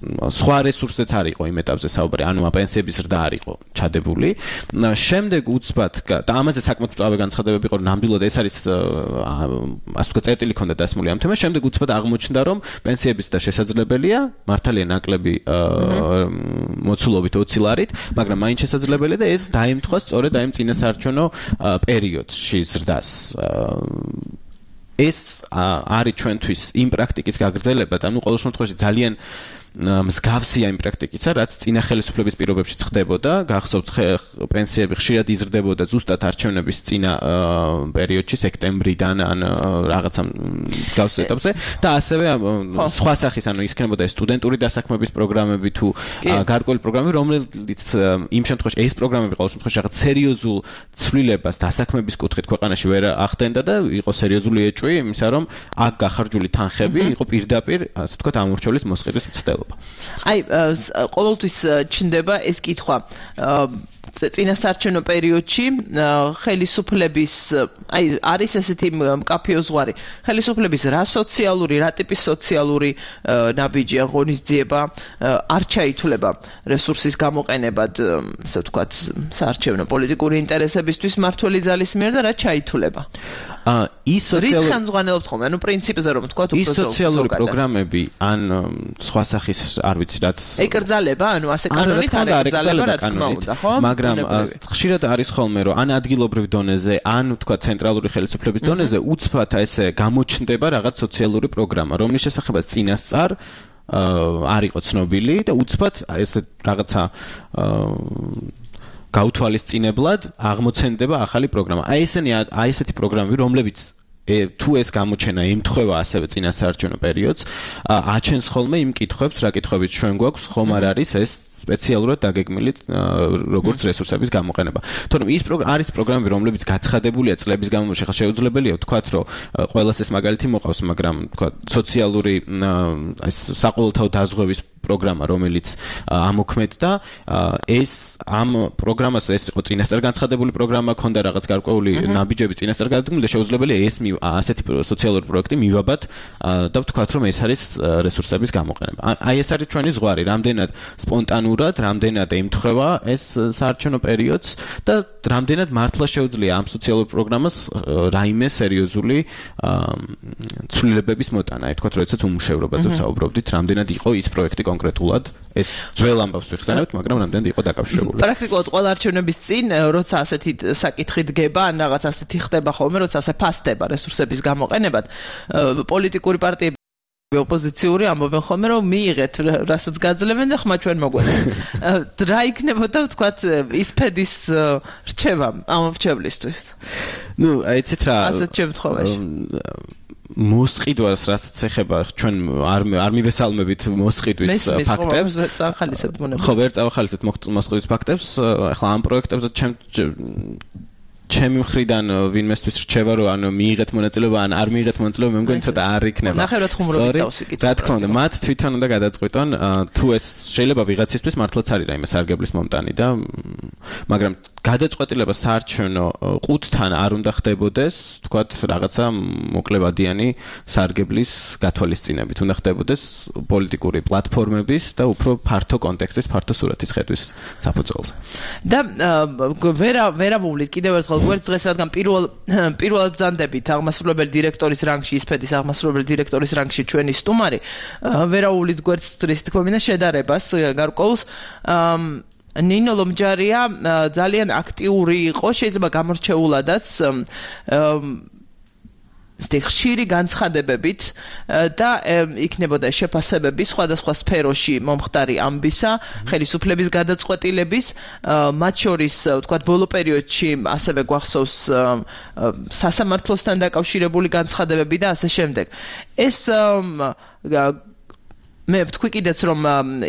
სხვა რესურსებიც არ იყო იმ ეტაპზე საუბარი, ანუ პენსიების ზრდა არ იყო ჩადებული. შემდეგ უცბად და ამაზე საკმაოდ მწვავე განცხადებები იყო, რომ ნამდვილად ეს არის ასე ვთქვათ, წერტილი ქონდა დასმული ამ თემას. შემდეგ უცბად აღმოჩნდა, რომ პენსიების და შესაძლებელია, მართალია ნაკლები მოცულობით 20 ლარით, მაგრამ მაინც შესაძლებელია და ეს დაემთხვა სწორედ აი წინასაარჩევნო პერიოდში ზრდას. ეს არის ჩვენთვის იმ პრაქტიკის გაგრძელება და ყოველ შემთხვევაში ძალიან მსგავსია იმ პრაქტიკისა, რაც წინა ხელისუფლების პირობებში ხდებოდა, გახსოვთ პენსიები ხშირად იზრდებოდა ზუსტად არჩევნების წინა პერიოდში, სექტემბრიდან ან რაღაცა მსგავს ეტაპზე და ასევე სხვა სახის, ანუ იქნებოდა სტუდენტური დასაქმების პროგრამები თუ გარკვეული პროგრამები, რომელიც იმ შემთხვევაში ეს პროგრამები ყოველ შემთხვევაში რაღაც სერიოზულ ცვლილებას დასაქმების კუთხით ქვეყანაში ვერ ახდენდა და იყო სერიოზული ეჭვი იმისა, რომ აქ გახარჯული თანხები იყო პირდაპირ, ასე ვთქვათ, ამორჩევლის მოსყიდვის მცდელობა. აი, ყოველთვის ჩნდება ეს კითხვა. წინასაარჩევნო პერიოდში ხელისუფლების აი არის ესეთი მკაფიო ზღვარი ხელისუფლების რა სოციალური რა ტიპის სოციალური ნაბიჯი აღონისძიება არ ჩაითვლება რესურსის გამოყენებად ასე ვთქვათ საარჩევნო პოლიტიკური ინტერესებისთვის მართველი ძალის მიერ და რა ჩაითვლება ის სოციალური რითხანძღვანელობთ ხოლმე ანუ პრინციპზე რომ ვთქვათ უფრო ის სოციალური პროგრამები ან სხვა სახის არ ვიცი რაც ეკრძალება ანუ ასე კანონით არ ეკრძალება რა თქმა უნდა ხო მაგრამ ხშირად არის ხოლმე რომ ან ადგილობრივ დონეზე ან თქვა ცენტრალური ხელისუფლების დონეზე უცბად ესე გამოჩნდება რაღაც სოციალური პროგრამა რომლის შესახებაც წინასწარ არ იყო ცნობილი და უცბად ესე რაღაცა გაუთვალისწინებლად აღმოცენდება ახალი პროგრამა. აი ესეთი პროგრამები, რომლებიც თუ ეს გამოჩენა ემთხვევა ასევე წინასაარჩევნო პერიოდს, აჩენს ხოლმე იმ კითხვებს, რა კითხვებით ჩვენ გვაქვს, ხომ არ არის ეს სპეციალურად დაგეგმილი როგორც რესურსების გამოყენება. თორემ ის არის პროგრამები, რომლებიც გაცხადებულია წლების განმავლობაში, ხა შეუძლებელია ვთქვათ, რომ ყველას ეს მაგალითი მოყავს, მაგრამ ვთქვათ, სოციალური ეს საყოველთაო დაზღვევის პროგრამა, რომელიც ამოქმედდა, ეს ამ პროგრამას ეს იყო წინასწარ განცხადებული პროგრამა, ქონდა რაღაც გარკვეული ნაბიჯები წინასწარ გადადგმული და შეუძლებელია ეს ასეთი სოციალური პროექტი მივაბად და ვთქვათ, რომ ეს არის რესურსების გამოყენება. აი ეს არის ჩვენი ზღვარი, რამდენად სპონტანურად, რამდენად ემთხვევა ეს საარჩევნო პერიოდს და რამდენად მართლა შეუძლია ამ სოციალურ პროგრამას რაიმე სერიოზული ცვლილებების მოტანა. აი ვთქვათ, როდესაც უმუშევრობაზე ვსაუბრობდით, რამდენად იყო ის პროექტი კონკრეტულად ეს ძველ ამბავს ვიხსენებთ, მაგრამ რამდენად იყო დაკავშირებული. პრაქტიკულად ყველა არჩევნების წინ, როცა ასეთი საკითხი დგება, ან რაღაც ასეთი ხდება ხოლმე, როცა ასე ფასდება რესურსების გამოყენებად, პოლიტიკური პარტიები ოპოზიციური ამბობენ ხოლმე, რომ მიიღეთ, რასაც გაძლევენ და ხმა ჩვენ მოგვეცეთ. რა იქნებოდა, ვთქვათ, ისფედის რჩევა ამ რჩევლისთვის? ნუ, აიცით რა. ასეთ შემთხვევაში. მოსყიდვას რასაც ეხება ჩვენ არ მივესალმებით მოსყიდვის ფაქტებს ხო ვერ წავახალისებთ მოსყიდვის ფაქტებს ახლა ამ პროექტებზე ჩემი მხრიდან ვინმესთვის რჩევა რომ ანუ მიიღეთ მონაწილეობა ან არ მიიღეთ მონაწილეობა მე მგონი ცოტა არ იქნება ნახევრად ხუმრობით დავსიკითხო რა თქმა უნდა მათ თვითონ უნდა გადაწყვიტონ თუ ეს შეიძლება ვიღაცისთვის მართლაც არის რაიმე სარგებლის მომტანი და მაგრამ გადაწყვეტილება საარჩევნო ყუთთან არ უნდა ხდებოდეს თქვათ რაღაცა მოკლებადიანი სარგებლის გათვალისწინებით უნდა ხდებოდეს პოლიტიკური პლატფორმების და უფრო ფართო კონტექსტის ფართო სურათის ხედვის საფუძველზე და ვერა მოვლით კიდევ ერთხელ გვერდს დღეს რადგან პირველად ბრძანდებით აღმასრულებელი დირექტორის რანგში ისფედის აღმასრულებელი დირექტორის რანგში ჩვენი სტუმარი ვერაუვლით გვერდს ის თქმა უნდა შედარებას გარკვეულს ნინო ლომჯარია ძალიან აქტიური იყო შეიძლება გამორჩეულადაც ხშირი განცხადებებით და იქნებოდა შეფასებები სხვადასხვა სფეროში მომხდარი ამბისა, ხელისუფლების გადაწყვეტილების, მათ შორის, ვთქვათ, ბოლო პერიოდში ასევე გვახსოვს სასამართლოსთან დაკავშირებული განცხადებები და ასე შემდეგ. ეს მე ვთქვი კიდეც რომ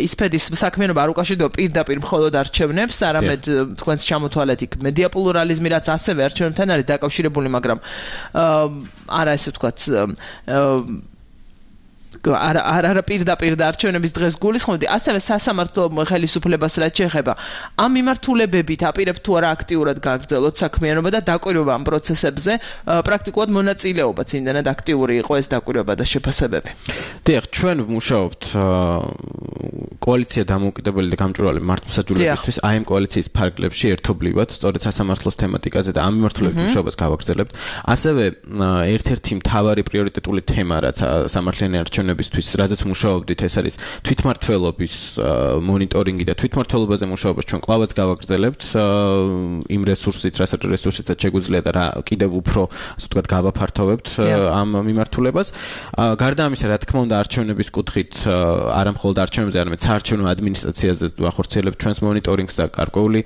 ისფედის საქმიანობა არ უკავშირდება პირდაპირ მხოლოდ არჩევნებს, არამედ თქვენს ჩამოთვალეთ იქ მედია პლურალიზმი, რაც ასევე არჩევნებთან არის დაკავშირებული, მაგრამ არა ესე ვთქვათ არა პირდაპირ და არჩევნების დღეს გულისხმობდი, ასევე სასამართლო ხელისუფლებას რაც შეეხება. ამ მიმართულებებით აპირებთ თუ არა აქტიურად გაგრძელოთ საქმიანობა და დაკვირვება ამ პროცესებზე, პრაქტიკულად მონაწილეობაც იმდენად აქტიური იყო ეს დაკვირვება და შეფასებები. დიახ, ჩვენ ვმუშაობთ კოალიცია დამოუკიდებელი და გამჭვირვალე მართლმსაჯულებისთვის, აი ამ კოალიციის ფარგლებში ერთობლივად, სწორედ სასამართლოს თემატიკაზე და ამ მიმართულებით მუშაობას გავაგრძელებთ. ასევე ერთ-ერთი მთავარი პრიორიტეტული თემა, რაც სამართლიანი არჩევნების არჩევნებისთვის, რაზეც მუშაობდით, ეს არის თვითმმართველობის მონიტორინგი და თვითმმართველობაზე მუშაობას ჩვენ კლავაც გავაგრძელებთ იმ რესურსით, რასაც შეგვიძლია და რა კიდევ უფრო, ასე ვთქვათ, გავაფართოვებთ ამ მიმართულებას. გარდა ამისა, რა თქმა უნდა, არჩევნების კუთხით არა მხოლოდ არჩევნებზე, არამედ საარჩევნო ადმინისტრაციაზე ვახორციელებთ ჩვენს მონიტორინგს და გარკვეული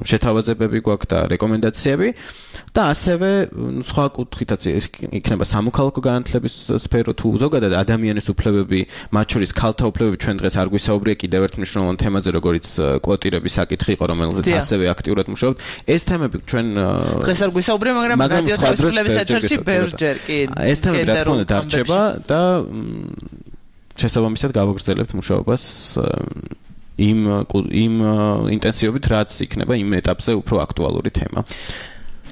შეთავაზებები გვაქვს და რეკომენდაციები და ასევე სხვა კუთხითაც ეს იქნება სამოქალაქო განათლების სფერო თუ ზოგადად ადამიანის უფლებები, მათ შორის ქალთა უფლებები ჩვენ დღეს არ გვისაუბრია კიდევ ერთ მნიშვნელოვან თემაზე, როგორც კვოტირების საკითხი იყო, რომელზეც ასევე აქტიურად მუშაობთ. ეს თემები ჩვენ დღეს არ გვისაუბრია, მაგრამ რადიო თავისუფლების ეთერში ბევრჯერ კი. ეს თემები რა თქმა უნდა დარჩება და შესაბამისად გავაგრძელებთ მუშაობას იმ ინტენსივობით, რაც იქნება იმ ეტაპზე უფრო აქტუალური თემა.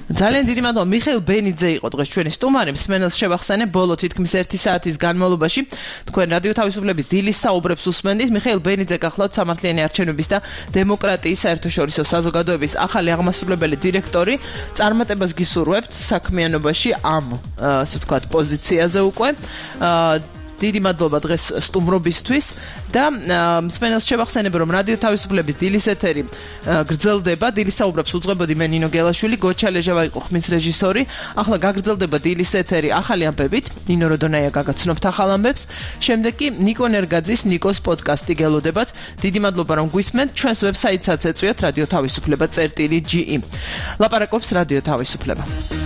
ძალიან დიდი მადლობა. მიხეილ ბენიძე იყო დღეს ჩვენი სტუმარი. მსმენელს შევახსენებ, ბოლო თითქმის 1 საათის განმავლობაში თქვენ რადიო თავისუფლების დილის საუბრებს უსმენდით. მიხეილ ბენიძე გახლავთ სამართლიანი არჩევნების და დემოკრატიის საერთაშორისო საზოგადოების ახალი აღმასრულებელი დირექტორი. წარმატებას გისურვებთ საქმიანობაში ამ, ასე ვთქვათ, პოზიციაზე უკვე. დიდი მადლობა დღეს სტუმრობისთვის და მსმენელს შევახსენებ, რომ რადიო თავისუფლების დილის ეთერი გრძელდება. დილის საუბრებს უძღვებოდი მე ნინო გელაშვილი, გოჩა ლეჟავა იყო ხმის რეჟისორი. ახლა გაგრძელდება დილის ეთერი ახალი ამბებით. ნინო როდონაია გაგაცნობთ ახალ ამბებს. შემდეგ კი ნიკო ნერგაძის ნიკოს პოდკასტი გელოდებათ. დიდი მადლობა რომ გვისმენთ. ჩვენს ვებსაიტსაც ეწვიოთ რადიო თავისუფლება.ge. ლაპარაკობს რადიო თავისუფლება.